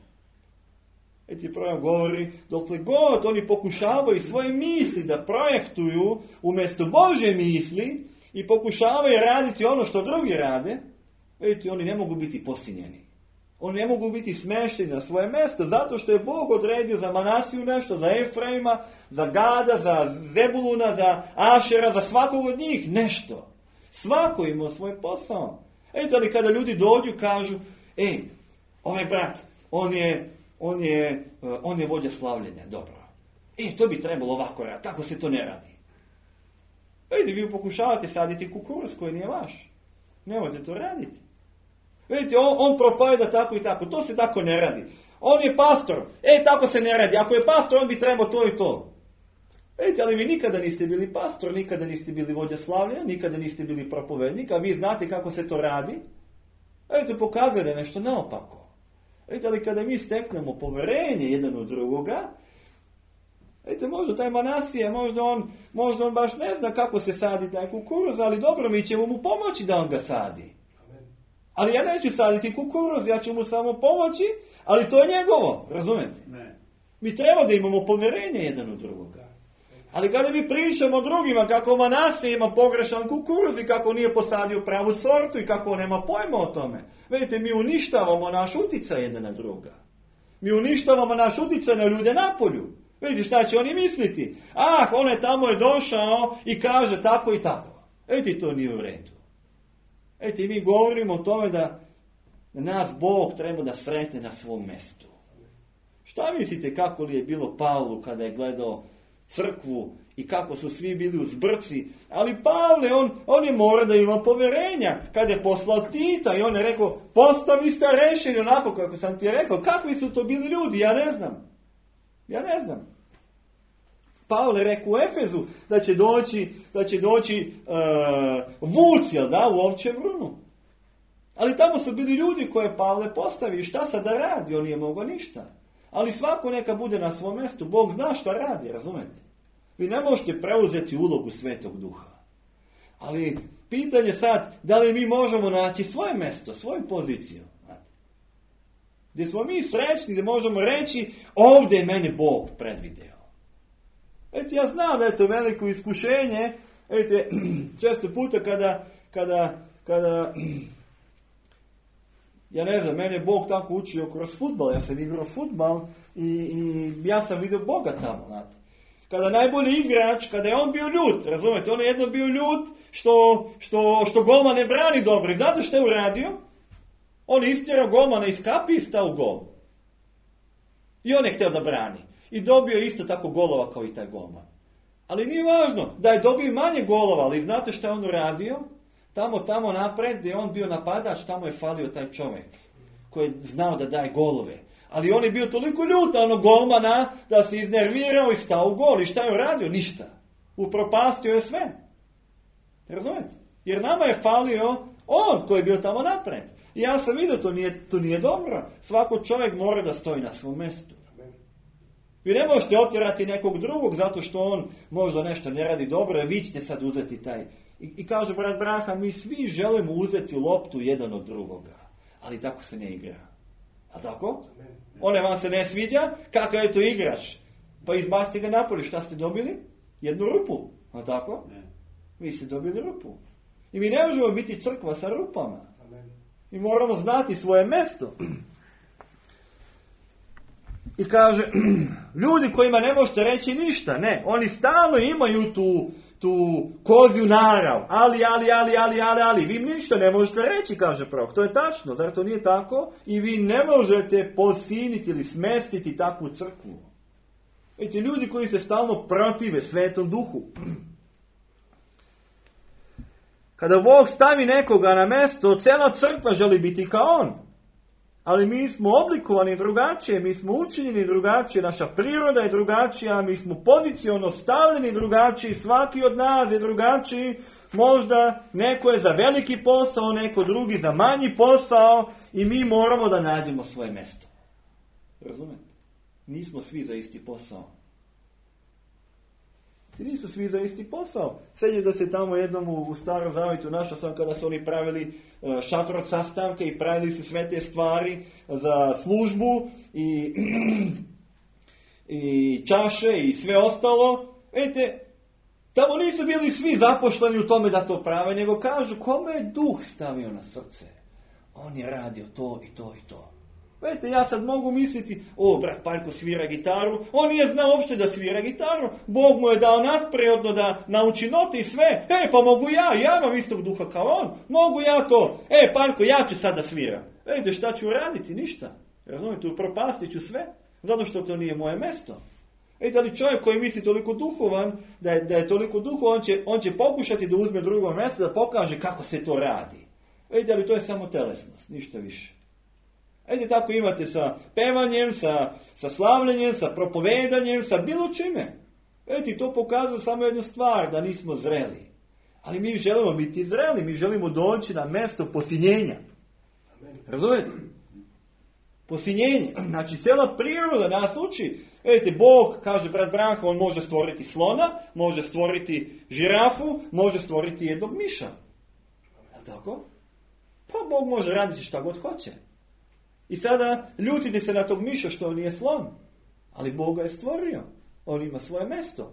Prvo govori, dokle god oni pokušavaju svoje misli da projektuju umjesto Božje misli i pokušavaju raditi ono što drugi rade, oni ne mogu biti posiljeni. Oni ne mogu biti smešteni na svoje mjesto, zato što je Bog odredio za Manasiju nešto, za Efraima, za Gada, za Zebuluna, za Ašera, za svakog od njih nešto. Svako ima svoj posao. Ali kada ljudi dođu, kažu, ovaj brat, on je vođa slavljenja, dobro. To bi trebalo ovako raditi, tako se to ne radi. Vi pokušavate saditi kukuruz koji nije vaš. Nemojte to raditi. Vidite, on propoveda tako i tako. To se tako ne radi. On je pastor. Tako se ne radi. Ako je pastor, on bi trebao to i to. Vidite, ali vi nikada niste bili pastor, nikada niste bili vođa slavljenja, nikada niste bili propovednik, a vi znate kako se to radi. Vidite, pokazuje da je nešto naopako. Vidite, ali kada mi steknemo poverenje jedan od drugoga, vidite, možda taj Manasije, možda on baš ne zna kako se sadi taj kukuruz, ali dobro, mi ćemo mu pomoći da on ga sadi. Ali ja neću saditi kukuruz, ja ću mu samo pomoći, ali to je njegovo, razumete? Ne. Mi treba da imamo poverenje jedan od drugoga. Ali kada mi pričamo drugima kako Manasije ima pogrešan kukuruz i kako nije posadio pravu sortu i kako on nema pojma o tome, vidite, mi uništavamo naš uticaj jedan na druga. Mi uništavamo naš uticaj na ljude napolju. Vidite šta će oni misliti? On je tamo došao i kaže tako i tako. Vidite, to nije u redu. Vidite, mi govorimo o tome da nas Bog treba da sretne na svom mjestu. Šta mislite kako li je bilo Pavlu kada je gledao crkvu i kako su svi bili u zbrci? Ali Pavle, on je mora da ima poverenja. Kada je poslao Tita i on je rekao, postavi starešini onako kako sam ti rekao. Kakvi su to bili ljudi? Ja ne znam. Pavle rekao u Efezu da će doći vuc, jel da, u ovčjem runu. Ali tamo su bili ljudi koje Pavle postavi. Šta sad da radi? On nije mogao ništa. Ali svako neka bude na svom mjestu. Bog zna šta radi, razumete? Vi ne možete preuzeti ulogu Svetog Duha. Ali pitanje sad, da li mi možemo naći svoje mjesto, svoju poziciju? Gdje smo mi srećni, gdje možemo reći, ovdje je mene Bog predvideo. Vidite, ja znam da je to veliko iskušenje. Vidite, često puta kada ja ne znam, mene je Bog tako učio kroz fudbal, ja sam igrao fudbal i ja sam vidio Boga tamo, znate. Kada najbolji igrač, kada je on bio ljut, razumete, on je jedno bio ljut što golman ne brani dobro. I znate što je uradio? On je istjerao golmana iz kapi i stao u gol. I on je htio da brani. I dobio isto tako golova kao i taj golman. Ali nije važno da je dobio manje golova, ali znate što je on uradio? Tamo napred gdje je on bio napadač, tamo je falio taj čovjek koji je znao da daje golove. Ali on je bio toliko ljut na onog golmana da se iznervirao i stao u gol. I šta je uradio? Ništa. Upropastio je sve. Razumete? Jer nama je falio on koji je bio tamo napred. I ja sam vidio, to nije dobro. Svako čovjek mora da stoji na svom mjestu. Vi ne možete otjerati nekog drugog zato što on možda nešto ne radi dobro, vi ćete sad uzeti taj. I kaže brat Braha, mi svi želimo uzeti loptu jedan od drugoga. Ali tako se ne igra. A tako? One vam se ne sviđa? Kakav je to igrač? Pa izbacite ga napolje. Šta ste dobili? Jednu rupu. A tako? Vi ste dobili rupu. I mi ne možemo biti crkva sa rupama. Mi moramo znati svoje mjesto. I kaže, ljudi kojima ne možete reći ništa, ne, oni stalno imaju tu kozju narav, ali, vi im ništa ne možete reći, kaže prorok, to je tačno, zar to nije tako? I vi ne možete posiniti ili smestiti takvu crkvu. Vidite, ljudi koji se stalno protive Svetom Duhu. Kada Bog stavi nekoga na mjesto, cijela crkva želi biti kao on. Ali mi smo oblikovani drugačije, mi smo učinjeni drugačije, naša priroda je drugačija, mi smo poziciono stavljeni drugačiji, svaki od nas je drugačiji, možda neko je za veliki posao, neko drugi za manji posao i mi moramo da nađemo svoje mjesto. Razumete? Nismo svi za isti posao. Nisu svi za isti posao. Sjećam da se tamo jednom u Starom Zavjetu našao sam kada su oni pravili šator od sastanke i pravili su sve te stvari za službu i čaše i sve ostalo. Vidite, tamo nisu bili svi zaposleni u tome da to prave, nego kažu kome je Duh stavio na srce. On je radio to i to i to. Vidite, ja sad mogu misliti, brat Paljko svira gitaru, on nije znao uopšte da svira gitaru, Bog mu je dao nadprirodno da nauči note i sve, pa mogu ja imam istog duha kao on, mogu ja to, Paljko, ja ću sad da sviram. Vidite, šta ću raditi? Ništa. Razumijete, upropastit ću sve, zato što to nije moje mjesto. Vidite, ali čovjek koji misli toliko duhovan, da je toliko duhovan, on će pokušati da uzme drugo mjesto, da pokaže kako se to radi. Vidite, ali to je samo telesnost, ništa više. Ajde, tako imate sa pevanjem, sa slavljenjem, sa propovedanjem, sa bilo čime. Vidite, to pokazuje samo jednu stvar, da nismo zreli. Ali mi želimo biti zreli, mi želimo doći na mjesto posinjenja. Razumijete? Posinjenje. Znači, cijela priroda nas uči. Vidite, Bog, kaže brat Branko, on može stvoriti slona, može stvoriti žirafu, može stvoriti jednog miša. Je tako? Pa Bog može raditi šta god hoće. I sada ljutite se na tog miša što on nije slon. Ali Bog ga je stvorio. On ima svoje mjesto.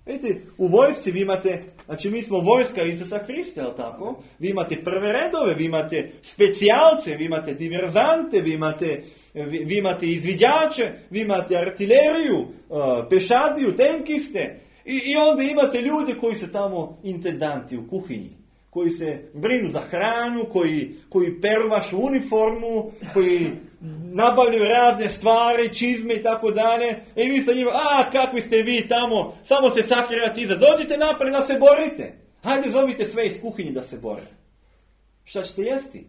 Vidite, u vojsci vi imate, znači mi smo vojska Isusa Krista, je tako? Vi imate prve redove, vi imate specijalce, vi imate diverzante, vi imate izviđače, vi imate artileriju, pešadiju, tenkiste. I onda imate ljude koji su tamo intendanti u kuhinji. Koji se brinu za hranu, koji peru vašu uniformu, koji nabavljaju razne stvari, čizme i tako dalje. I vi sa njima, kakvi ste vi tamo, samo se sakrijate iza. Dođite napred da se borite. Hajde zovite sve iz kuhinje da se bore. Šta ćete jesti?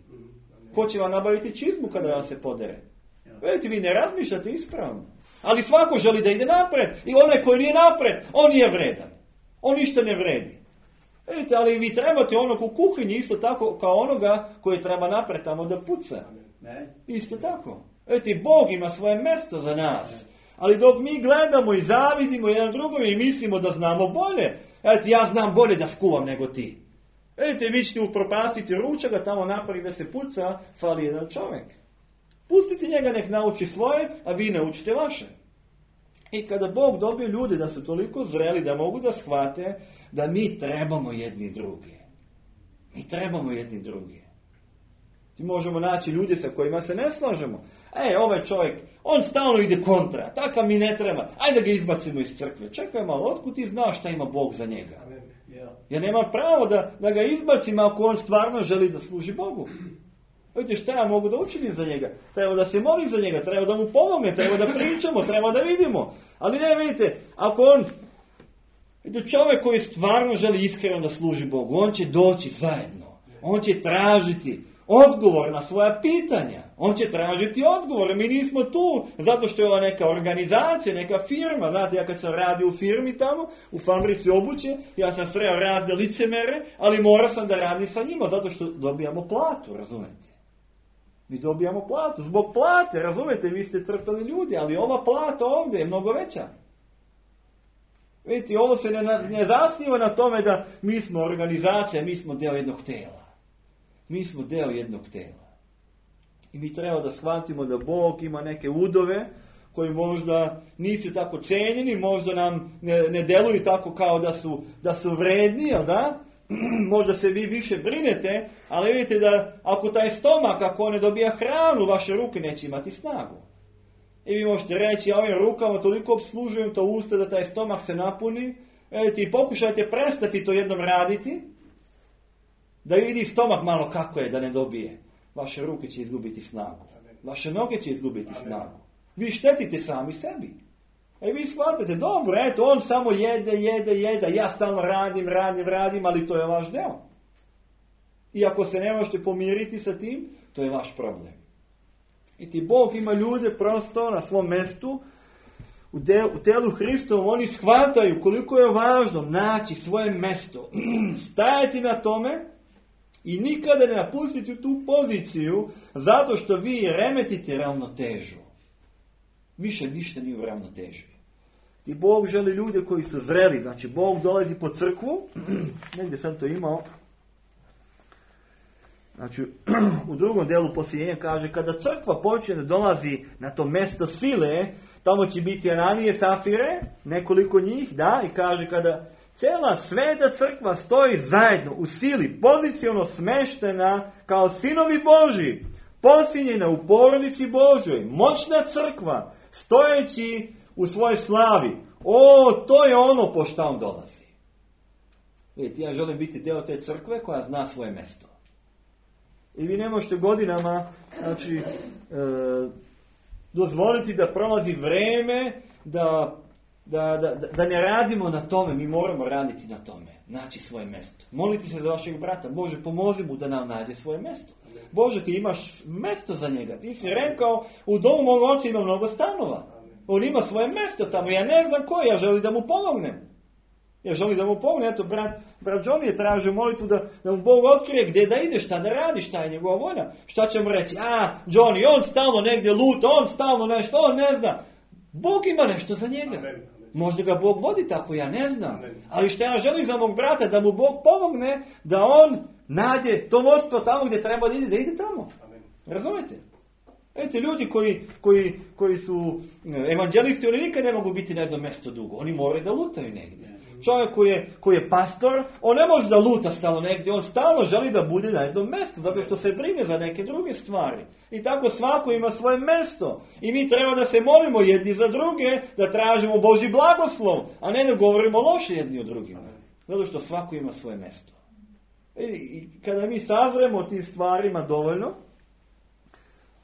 Ko će vam nabaviti čizmu kada vam se podere? Vidite, vi ne razmišljate ispravno. Ali svako želi da ide napred. I onaj koji nije napred, on nije vredan. On ništa ne vredi. Vidite, ali vi trebate onog u kuhinji isto tako kao onoga koji treba napred tamo da puca. Isto tako. Vidite, Bog ima svoje mjesto za nas. Ali dok mi gledamo i zavidimo jedan drugom i mislimo da znamo bolje. Vidite, ja znam bolje da skuvam nego ti. Vidite, vi ćete upropastiti ručak, a tamo napred da se puca, fali jedan čovjek. Pustite njega, nek nauči svoje, a vi naučite vaše. I kada Bog dobije ljude da su toliko zreli, da mogu da shvate da mi trebamo jedni drugi. Mi trebamo jedni drugi. Ti možemo naći ljude sa kojima se ne slažemo. Ovaj čovjek, on stalno ide kontra, takav mi ne treba. Ajde da ga izbacimo iz crkve. Čekaj malo, otkud ti znaš šta ima Bog za njega? Ja nemam pravo da ga izbacim ako on stvarno želi da služi Bogu. Vidite, šta ja mogu da učinim za njega? Treba da se molim za njega, treba da mu pomogne, treba da pričamo, treba da vidimo. Ali ne, vidite, ako on, vidite, čovjek koji stvarno želi iskreno da služi Bogu, on će doći zajedno. On će tražiti odgovor na svoja pitanja. On će tražiti odgovor. Mi nismo tu zato što je ova neka organizacija, neka firma. Znate, ja kad sam radio u firmi tamo, u fabrici obuće, ja sam sreo razne licemere, ali morao sam da radim sa njima zato što dobijamo platu, razumete? Mi dobijamo platu. Zbog plate, razumete, vi ste trpeli ljudi, ali ova plata ovdje je mnogo veća. Vidite, ovo se ne zasniva na tome da mi smo organizacija, mi smo deo jednog tela. Mi smo deo jednog tela. I mi treba da shvatimo da Bog ima neke udove koji možda nisu tako cijenjeni, možda nam ne deluju tako kao da su vredni, jel da? Možda se vi više brinete, ali vidite da ako taj stomak, ako ne dobija hranu, vaše ruke neće imati snagu. I vi možete reći, ja ovim rukama toliko obslužujem to usta da taj stomak se napuni. Vidite, i pokušajte prestati to jednom raditi, da vidi stomak malo kako je da ne dobije. Vaše ruke će izgubiti snagu. Vaše noge će izgubiti snagu. Vi štetite sami sebi. Vi shvatate, dobro, eto, on samo jede, ja stalno radim, ali to je vaš deo. I ako se ne možete pomiriti sa tim, to je vaš problem. I ti Bog ima ljude prosto na svom mjestu, u telu Hristovom, oni shvataju koliko je važno naći svoje mjesto, stajati na tome i nikada ne napustiti tu poziciju zato što vi remetite ravnotežu. Više ništa nije u ravnoteži. Ti Bog želi ljude koji su zreli, znači Bog dolazi po crkvu, negdje sam to imao, znači u drugom delu posljednjenja kaže, kada crkva počne da dolazi na to mjesto sile, tamo će biti Ananije, Safire, nekoliko njih, da, i kaže kada cijela sveta crkva stoji zajedno u sili, poziciono smeštena kao sinovi Božji, posinjena u porodici Božoj, moćna crkva, stojeći u svojoj slavi. To je ono po šta on dolazi. Vidite, ja želim biti deo te crkve koja zna svoje mjesto. I vi ne možete godinama, znači, dozvoliti da prolazi vreme, da ne radimo na tome. Mi moramo raditi na tome. Naći svoje mjesto. Moliti se za vašeg brata. Bože, pomozi mu da nam nađe svoje mjesto. Bože, ti imaš mjesto za njega. Ti si rekao, u domu mog oca ima mnogo stanova. On ima svoje mjesto tamo. Ja ne znam koje, ja želim da mu pomognem. Eto, brat Johnny je tražio molitvu da mu Bog otkrije gdje da ide, šta da radi, šta je njegova volja. Šta će mu reći? Johnny, on stalno negdje luta, on stalno nešto, on ne zna. Bog ima nešto za njega. Amen. Možda ga Bog vodi tako, ja ne znam. Amen. Ali što ja želim za mog brata, da mu Bog pomogne, da on nađe to vodstvo tamo gdje treba da ide tamo. Amen. Razumete? Vidite, ljudi koji su evanđelisti, oni nikad ne mogu biti na jednom mjestu dugo. Oni moraju da lutaju negdje. Čovjek koji je pastor, on ne može da luta stalno negdje, on stalno želi da bude na jednom mjestu, zato što se brine za neke druge stvari. I tako svako ima svoje mjesto. I mi treba da se molimo jedni za druge, da tražimo Božji blagoslov, a ne da govorimo loše jedni o drugima. Zato što svako ima svoje mjesto. I kada mi sazremo o tim stvarima dovoljno,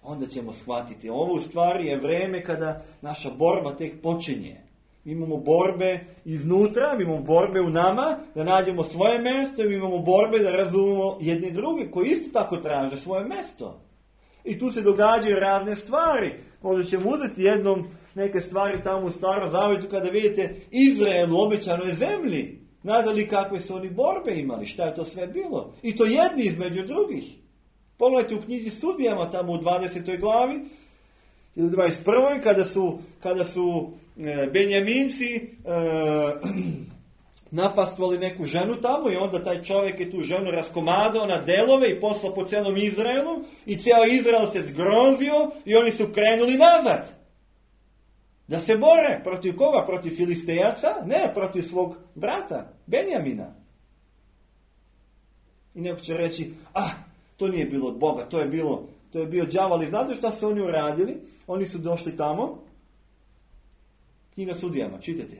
onda ćemo shvatiti. Ovo u stvari je vreme kada naša borba tek počinje. Mi imamo borbe iznutra, mi imamo borbe u nama, da nađemo svoje mjesto, mi imamo borbe da razumemo jedni drugi koji isto tako traže svoje mjesto. I tu se događaju razne stvari. Možda ćemo uzeti neke stvari tamo u Starom Zavjetu kada vidite Izrael u obećanoj zemlji. Znate li kakve su oni borbe imali, šta je to sve bilo? I to jedni između drugih. Pogledajte u knjizi Sudijama tamo u 20. glavi ili 21. kada su Benjaminci napastvali neku ženu tamo i onda taj čovjek je tu ženu raskomadao na delove i poslao po celom Izraelu i cijel Izrael se zgrozio i oni su krenuli nazad. Da se bore protiv koga? Protiv Filistejaca? Ne, protiv svog brata, Benjamina. I neko će reći, to nije bilo od Boga, to je bio đavol. I znate šta su oni uradili? Oni su došli tamo, knjiga Sudijama, čitajte,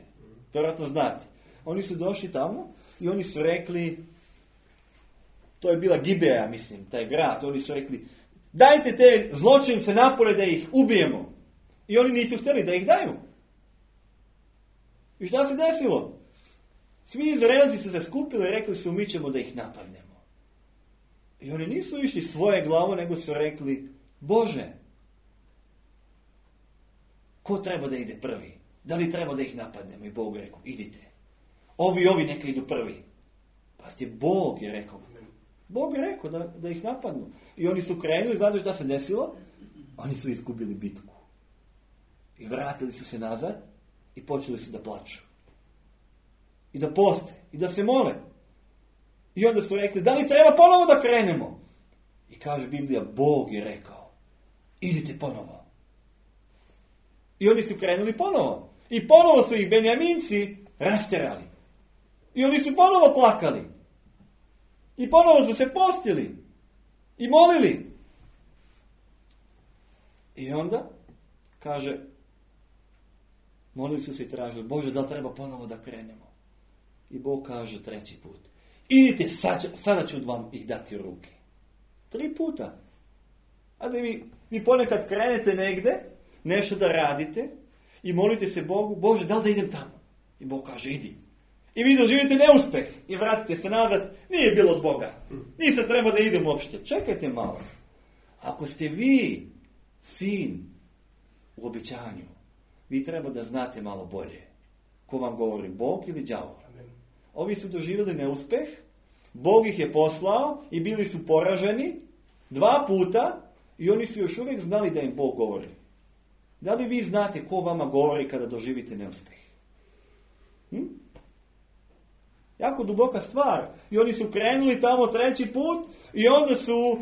vjerojatno znate. Oni su došli tamo i oni su rekli, to je bila Gibeja, mislim, taj grad, oni su rekli, dajte te zločince napore da ih ubijemo. I oni nisu htjeli da ih daju. I šta se desilo? Svi Izraelci su se skupili i rekli su, mi ćemo da ih napadnemo. I oni nisu išli svoje glavo, nego su rekli, Bože, ko treba da ide prvi? Da li treba da ih napadnemo? I Bog rekao, idite. Ovi neka idu prvi. Pazite, Bog je rekao. Bog je rekao da ih napadnu. I oni su krenuli, znate šta se desilo? Oni su izgubili bitku. I vratili su se nazad i počeli su da plaču. I da poste. I da se mole. I onda su rekli, da li treba ponovo da krenemo? I kaže Biblija, Bog je rekao, idite ponovo. I oni su krenuli ponovo. I ponovo su ih Benjaminci rasterali. I oni su ponovo plakali. I ponovo su se postili. I molili. I onda, kaže, molili su se i tražili, Bože, da li treba ponovo da krenemo? I Bog kaže 3. put, idite, sada ću vam ih dati u ruke. 3 puta. A da vi ponekad krenete negde, nešto da radite i molite se Bogu, Bože, da li da idem tamo? I Bog kaže, idi. I vi doživite neuspeh i vratite se nazad, nije bilo od Boga. Nisam treba da idem uopšte. Čekajte malo. Ako ste vi sin u obećanju, vi treba da znate malo bolje. Ko vam govori, Bog ili đavol? Ovi su doživjeli neuspeh, Bog ih je poslao i bili su poraženi 2 puta i oni su još uvijek znali da im Bog govori. Da li vi znate ko vama govori kada doživite neuspeh? Jako duboka stvar. I oni su krenuli tamo 3. put i onda su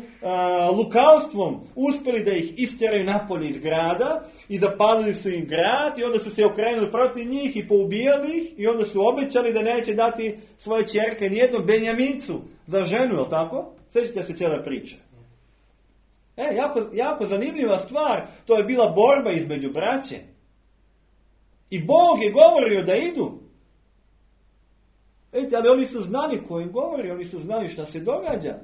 lukavstvom uspjeli da ih istjeraju napolje iz grada i zapalili su im grad i onda su se okrenuli protiv njih i poubijali ih i onda su obećali da neće dati svoje ćerke nijednom Benjamincu za ženu, je li tako? Sjećate se cijele priče. Jako zanimljiva stvar. To je bila borba između braće. I Bog je govorio da idu. Vidite, ali oni su znali ko im govori, oni su znali šta se događa.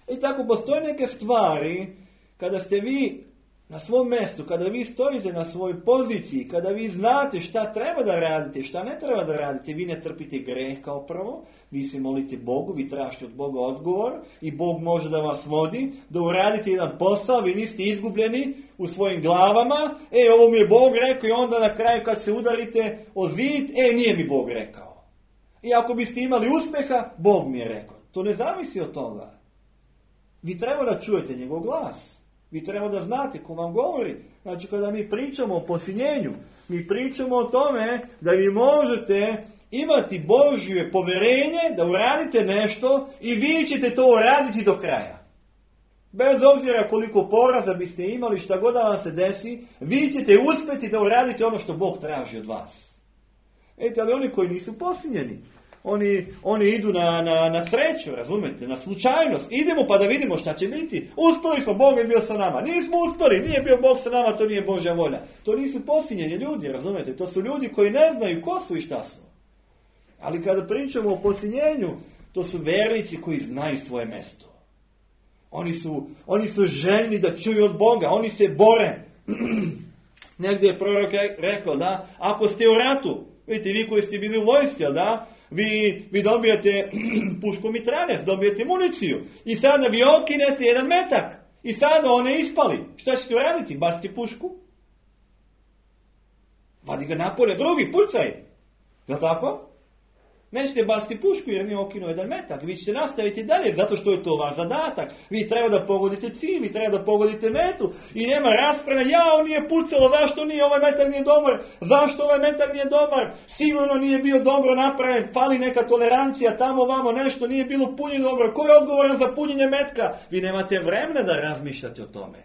I tako postoje neke stvari, kada ste vi na svom mjestu, kada vi stojite na svojoj poziciji, kada vi znate šta treba da radite, šta ne treba da radite, vi ne trpite greh kao prvo, vi se molite Bogu, vi tražite od Boga odgovor i Bog može da vas vodi, da uradite jedan posao, vi niste izgubljeni u svojim glavama, ovo mi je Bog rekao i onda na kraju kad se udarite o zid, nije mi Bog rekao. I ako biste imali uspjeha, Bog mi je rekao. To ne zavisi od toga. Vi treba da čujete njegov glas. Vi treba da znate ko vam govori. Znači kada mi pričamo o posiljenju, mi pričamo o tome da vi možete imati Božje povjerenje da uradite nešto i vi ćete to uraditi do kraja. Bez obzira koliko poraza biste imali, šta god da vam se desi, vi ćete uspjeti da uradite ono što Bog traži od vas. Ali oni koji nisu posiljeni, oni idu na sreću, razumete, na slučajnost. Idemo pa da vidimo šta će biti. Uspjeli smo, Bog je bio sa nama. Nismo uspjeli, nije bio Bog sa nama, to nije Božja volja. To nisu posiljeni ljudi, razumete. To su ljudi koji ne znaju ko su i šta su. Ali kada pričamo o posiljenju, to su vernici koji znaju svoje mjesto. Oni su željni da čuju od Boga, oni se bore. Negdje je prorok rekao da ako ste u ratu, vidite vi koji ste bili u vojsci, da, vi dobijete pušku mitraljez, dobijete municiju i sada vi okinete jedan metak i sada one ispali. Šta ćete uraditi? Bacite pušku? Vadi ga napolje, drugi, pucaj. Jel' tako? Nećete baciti pušku jer nije okinuo jedan metak. Vi ćete nastaviti dalje zato što je to vaš zadatak. Vi treba da pogodite cilj, vi treba da pogodite metu. I nema rasprave, on nije pucalo, zašto nije, ovaj metak nije dobar, zašto ovaj metak nije dobar, sigurno nije bio dobro napravljen, fali neka tolerancija, tamo vamo nešto, nije bilo punjeno dobro. Ko je odgovoran za punjenje metka? Vi nemate vremena da razmišljate o tome.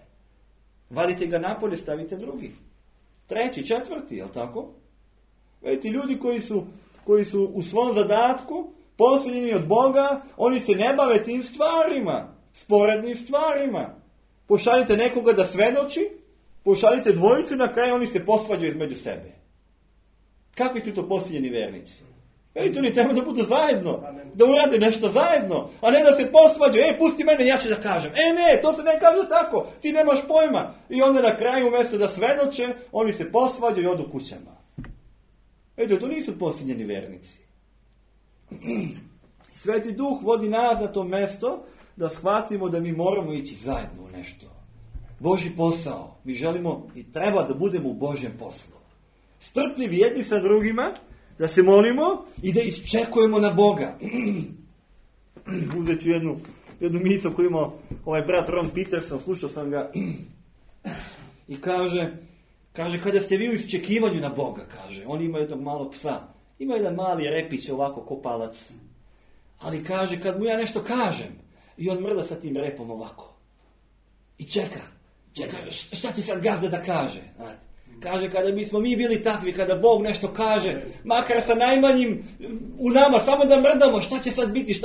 Vadite ga napolje, stavite drugi. Treći, četvrti, jel' tako? Vidite, ljudi koji su u svom zadatku posljednji od Boga, oni se ne bave tim stvarima, sporednim stvarima. Pošaljite nekoga da svedoči, pošaljite dvojicu, na kraju oni se posvađaju između sebe. Kakvi su to posljednji vernici? Vidite, oni treba da budu zajedno, da urade nešto zajedno, a ne da se posvađaju, pusti mene, ja ću da kažem. Ne, to se ne kaže tako, ti nemaš pojma. I onda na kraju, umjesto da svedoče, oni se posvađaju i odu kućama. To nisu posljednjeni vernici. Sveti Duh vodi nas na to mesto da shvatimo da mi moramo ići zajedno u nešto. Božji posao. Mi želimo i treba da budemo u Božjem poslu. Strpljivi jedni sa drugima, da se molimo i da iščekujemo na Boga. Uzet ću jednu misao koju ima ovaj brat Ron Peterson, slušao sam ga i kaže, kada ste vi u iščekivanju na Boga, kaže, on ima jednog malog psa, ima jedan mali repić ovako kopalac, ali kaže, kad mu ja nešto kažem, i on mrda sa tim repom ovako, i čeka, šta će sad gazda da kaže, kaže, kada bismo mi bili takvi, kada Bog nešto kaže, makar sa najmanjim u nama, samo da mrdamo, šta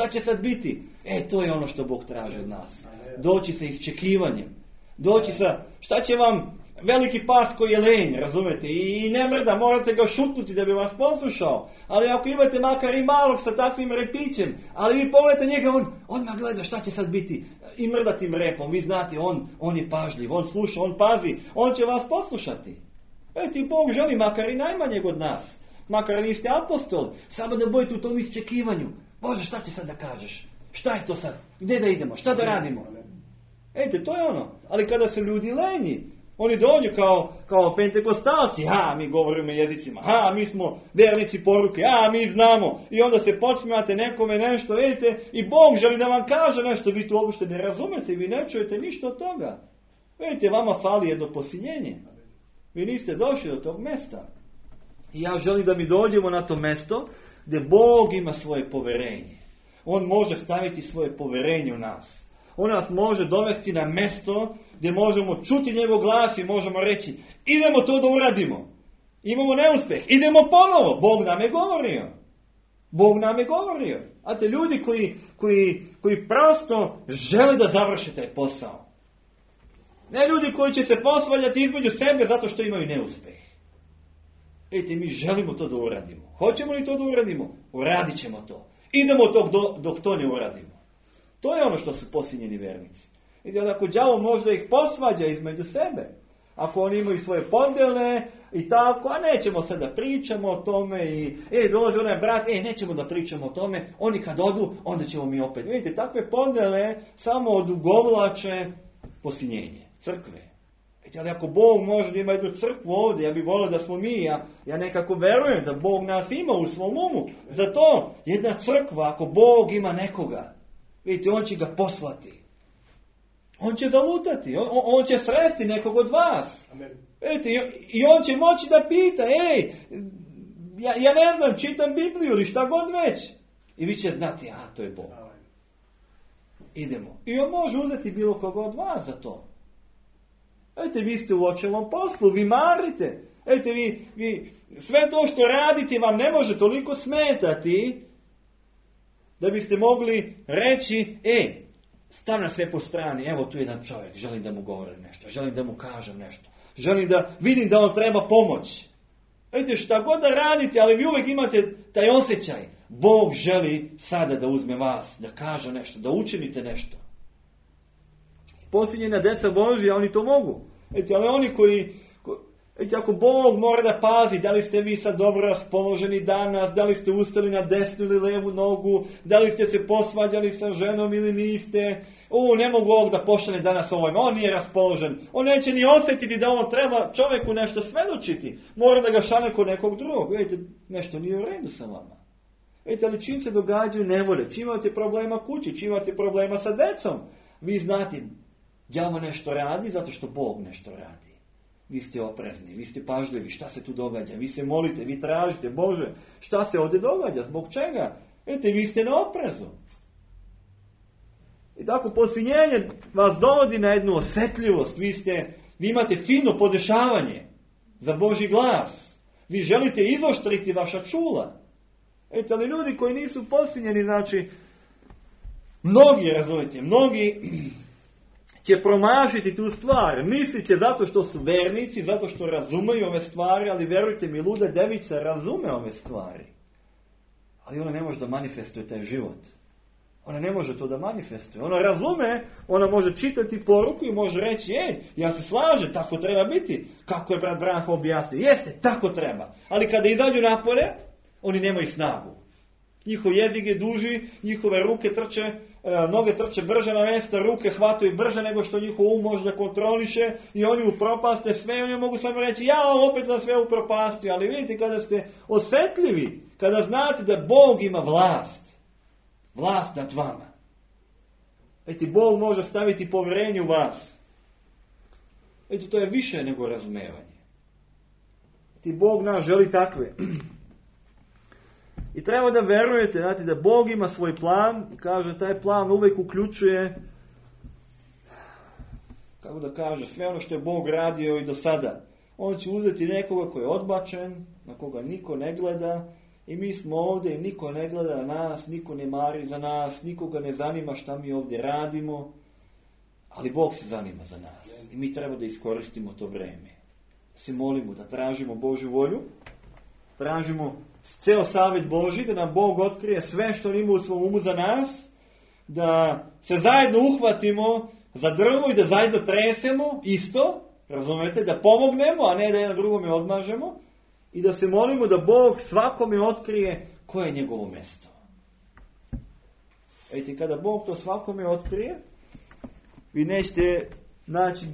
će sad biti, to je ono što Bog traži od nas, doći sa iščekivanjem, doći sa, šta će vam veliki pas koji je lenj, razumete, i ne mrda, morate ga šutnuti da bi vas poslušao, ali ako imate makar i malog sa takvim repićem, ali vi pogledajte njega, on odmah gleda šta će sad biti i mrda tim repom, vi znate, on je pažljiv, on sluša, on pazi, on će vas poslušati. Ti Bog želi makar i najmanjeg od nas, makar niste apostol, samo da budete u tom iščekivanju. Bože, šta će sad da kažeš? Šta je to sad? Gdje da idemo? Šta da radimo? To je ono. Ali kada su ljudi lenji, oni dođu kao pentekostalci, mi govorimo jezicima, mi smo vernici poruke, mi znamo. I onda se podsmijate nekome nešto, i Bog želi da vam kaže nešto, vi to uopšte ne razumete, vi ne čujete ništa od toga. Vama fali jedno posiljenje. Vi niste došli do tog mesta. I ja želim da mi dođemo na to mesto gdje Bog ima svoje poverenje. On može staviti svoje poverenje u nas. On nas može dovesti na mesto gdje možemo čuti njegov glas i možemo reći, idemo to da uradimo. Imamo neuspjeh, idemo ponovo. Bog nam je govorio. A te ljudi koji prosto žele da završe taj posao. Ne ljudi koji će se posvaljati između sebe zato što imaju neuspjeh. Mi želimo to da uradimo. Hoćemo li to da uradimo? Uradit ćemo to. Idemo dok to ne uradimo. To je ono što su posljednjeni vernici. Ako đavo može da ih posvađa između sebe, ako oni imaju svoje podjele i tako, a nećemo sad da pričamo o tome i dolazi onaj brat, nećemo da pričamo o tome, oni kad odu, onda ćemo mi opet. Vidite, takve podjele samo odugovlače posiljenje crkve. Ali ako Bog može da ima jednu crkvu ovdje, ja bih volio da smo mi, ja nekako verujem da Bog nas ima u svom umu. Zato jedna crkva, ako Bog ima nekoga, vidite, on će ga poslati. On će zalutati, on će sresti nekog od vas. Vidite, i on će moći da pita, ja ne znam, čitam Bibliju ili šta god već. I vi će znati, to je Bog. Idemo. I on može uzeti bilo koga od vas za to. Vi ste u očelnom poslu, vi marite. Vi sve to što radite vam ne može toliko smetati da biste mogli reći, stav na sve po strani, evo tu je jedan čovjek, želim da mu govorim nešto, želim da mu kažem nešto, želim da vidim da on treba pomoć. Šta god da radite, ali vi uvijek imate taj osjećaj, Bog želi sada da uzme vas, da kaže nešto, da učinite nešto. Posljednjena deca Božja, oni to mogu. Ali oni Vidite, ako Bog mora da pazi da li ste vi sad dobro raspoloženi danas, da li ste ustali na desnu ili levu nogu, da li ste se posvađali sa ženom ili niste, ne mogu ovog da pošalje danas ovojima, on nije raspoložen, on neće ni osjetiti da on treba čovjeku nešto svedočiti, mora da ga šalje kod nekog drugog. Vidite, nešto nije u redu sa vama. Vidite, ali čim se događaju nevolje, čim imate problema kući, čim imate problema sa decom, vi znate, đavo nešto radi zato što Bog nešto radi. Vi ste oprezni, vi ste pažljivi, šta se tu događa, vi se molite, vi tražite, Bože, šta se ovdje događa, zbog čega? Vidite, vi ste na oprezu. I tako posvinjenje vas dovodi na jednu osjetljivost, vi imate fino podešavanje za Božji glas, vi želite izoštriti vaša čula. Vidite, ali ljudi koji nisu posvinjeni, znači, mnogi će promašiti tu stvar, mislit će zato što su vernici, zato što razumeju ove stvari, ali verujte mi, luda devica razume ove stvari. Ali ona ne može da manifestuje taj život. Ona ne može to da manifestuje. Ona razume, ona može čitati poruku i može reći, ja se slažem, tako treba biti. Kako je brat Branko objasnio? Jeste, tako treba. Ali kada izađu napolje, oni nemaju snagu. Njihov jezik je duži, njihove ruke trče, noge trče brže na mjesta, ruke hvataju brže nego što njihov um može da kontroliše i oni upropaste sve i oni mogu samo reći, opet sam sve upropastio. Ali vidite, kada ste osjetljivi, kada znate da Bog ima vlast nad vama. Vidite, Bog može staviti povjerenje u vas. Vidite, to je više nego razumevanje. Vidite, Bog nas želi takve. I treba da verujete, znate, da Bog ima svoj plan i kaže, taj plan uvijek uključuje, kako da kaže, sve ono što je Bog radio i do sada. On će uzeti nekoga koji je odbačen, na koga niko ne gleda i mi smo ovdje i niko ne gleda na nas, niko ne mari za nas, nikoga ne zanima šta mi ovdje radimo, ali Bog se zanima za nas i mi treba da iskoristimo to vreme. Da se molimo, da tražimo Božju volju, tražimo ceo savjet Božji, da nam Bog otkrije sve što ima u svom umu za nas, da se zajedno uhvatimo za drvo i da zajedno tresemo isto, razumete, da pomognemo, a ne da jedan drugome odmažemo, i da se molimo da Bog svakome otkrije koje je njegovo mjesto. Vidite, kada Bog to svakome otkrije, vi nećete naći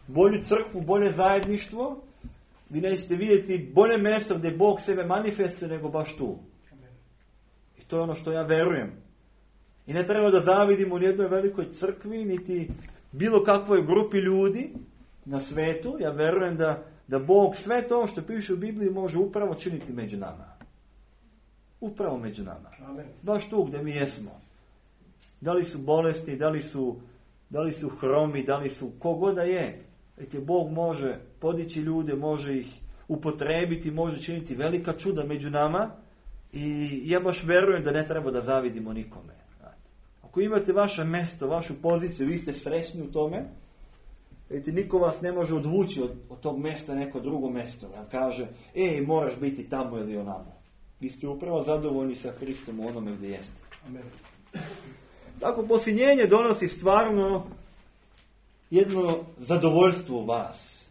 bolju crkvu, bolje zajedništvo, vi nećete vidjeti bolje mjesto gdje Bog sebe manifestuje nego baš tu. I to je ono što ja verujem. I ne treba da zavidimo u jednoj velikoj crkvi, niti bilo kakvoj grupi ljudi na svetu. Ja verujem da Bog sve to što piše u Bibliji može upravo činiti među nama. Upravo među nama. Amen. Baš tu gdje mi jesmo. Da li su bolesti, da li su hromi, da li su kogoda je. Vidite, Bog može podići ljude, može ih upotrebiti, može činiti velika čuda među nama i ja baš verujem da ne treba da zavidimo nikome. Ako imate vaše mjesto, vašu poziciju, vi ste srećni u tome, vidite, niko vas ne može odvući od tog mjesta neko drugo mjesto. Da kaže, moraš biti tamo ili onamo. Vi ste upravo zadovoljni sa Hristom u onome gdje jeste. Amen. Tako, posvinjenje donosi stvarno jedno zadovoljstvo u vas.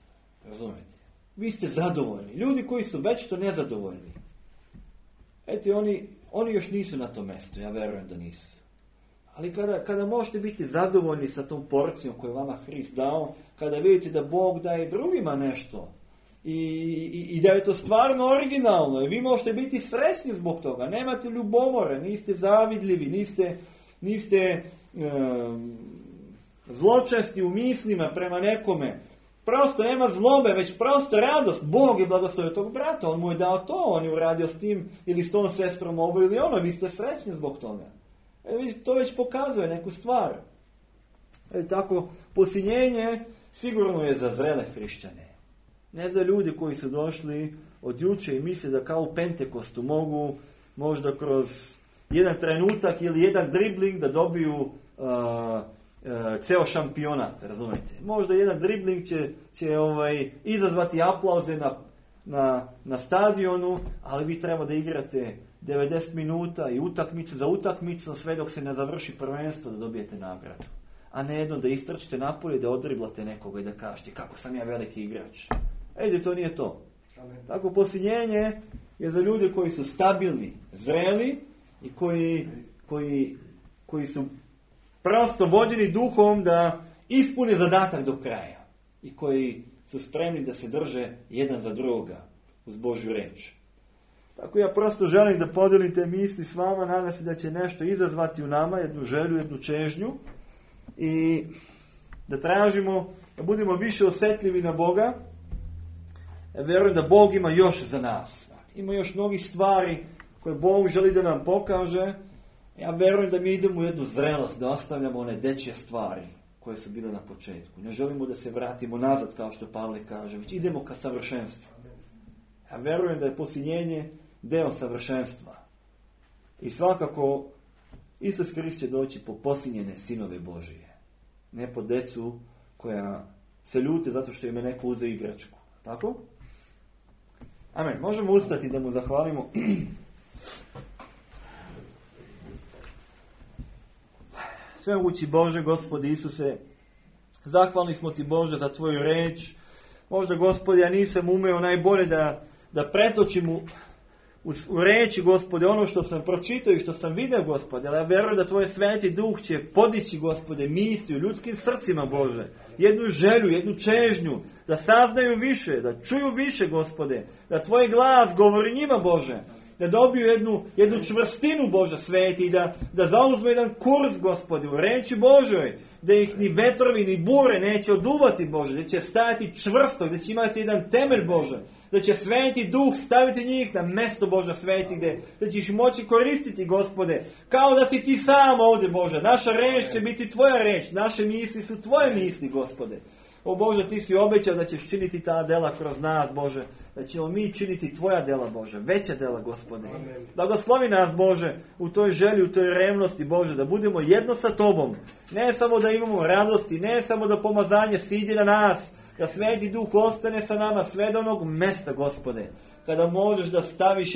Razumijete? Vi ste zadovoljni. Ljudi koji su već to nezadovoljni. Oni još nisu na tom mjestu. Ja verujem da nisu. Ali kada možete biti zadovoljni sa tom porcijom koju vama Hrist dao, kada vidite da Bog daje drugima nešto i da je to stvarno originalno i vi možete biti srećni zbog toga. Nemate ljubomore, niste zavidljivi, niste zločesti u mislima prema nekome. Prosto nema zlobe, već prosto radost. Bog je blagoslovio tog brata, on mu je dao to, on je uradio s tim ili s tom sestrom ovo ili ono, vi ste srećni zbog toga. To već pokazuje neku stvar. Tako, posvinjenje sigurno je za zrele hrišćane. Ne za ljudi koji su došli od juče i misle da kao u Pentekostu mogu možda kroz jedan trenutak ili jedan dribling da dobiju ceo šampionat, razumijete. Možda jedan dribling će izazvati aplauze na stadionu, ali vi treba da igrate 90 minuta i utakmicu za utakmicu sve dok se ne završi prvenstvo da dobijete nagradu. A ne jedno da istrčite napolje, da odriblate nekoga i da kažete kako sam ja veliki igrač. Ejde, to nije to. Tako posiljenje je za ljude koji su stabilni, zreli i koji su prosto vođeni duhom da ispune zadatak do kraja. I koji su spremni da se drže jedan za drugoga uz Božju reč. Tako ja prosto želim da podijelim te misli s vama, nadam se da će nešto izazvati u nama, jednu želju, jednu čežnju i da tražimo, da budemo više osjetljivi na Boga. Ja vjerujem da Bog ima još za nas. Ima još mnogih stvari koje Bog želi da nam pokaže. Ja vjerujem da mi idemo u jednu zrelost, da ostavljamo one dečje stvari koje su bile na početku. Ne želimo da se vratimo nazad, kao što Pavle kaže, već idemo ka savršenstvu. Ja vjerujem da je posiljenje deo savršenstva. I svakako Isus Krist će doći po posiljene sinove Božije. Ne po decu koja se ljute zato što im je neko uzeo igračku. Tako? Amen. Možemo ustati da mu zahvalimo. Svemogući Bože, Gospodi Isuse, zahvalni smo Ti, Bože, za Tvoju reč. Možda, Gospodi, ja nisam umeo najbolje da pretočim u reči, Gospode, ono što sam pročitao i što sam vidio, Gospode, ali ja vjerujem da Tvoj Sveti Duh će podići, Gospode, misli u ljudskim srcima, Bože, jednu želju, jednu čežnju, da saznaju više, da čuju više, Gospode, da Tvoj glas govori njima, Bože, da dobiju jednu čvrstinu, Bože, Sveti, i da zauzme jedan kurs, Gospode, u reči Božoj, da ih ni vetrovi ni bure neće oduvati, Bože, da će stajati čvrsto, da će imati jedan temelj, Bože, da će Sveti Duh staviti njih na mesto, Bože, Sveti, da ćeš moći koristiti, Gospode, kao da si Ti sam ovdje, Bože. Naša reč će biti Tvoja reč, naše misli su Tvoje misli, Gospode. O Bože, Ti si obećao da ćeš činiti ta dela kroz nas, Bože, da ćemo mi činiti Tvoja dela, Bože, veća dela, Gospode. Blagoslovi nas, Bože, u toj želji, u toj revnosti, Bože, da budemo jedno sa Tobom. Ne samo da imamo radosti, ne samo da pomazanje siđe na nas, da Sveti Duh ostane sa nama sve do onog mesta, Gospode, kada možeš da staviš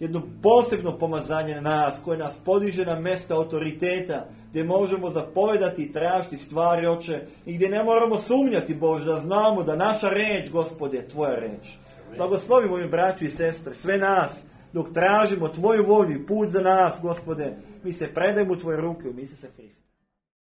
jedno posebno pomazanje na nas, koje nas podiže na mesta autoriteta, gdje možemo zapovedati i tražiti stvari, Oče, i gdje ne moramo sumnjati, Bože, da znamo da naša reč, Gospode, je Tvoja reč. Blagoslovi moji braću i sestre, sve nas, dok tražimo Tvoju volju i put za nas, Gospode, mi se predajemo u Tvoje ruke, u ime Isusa Hrista.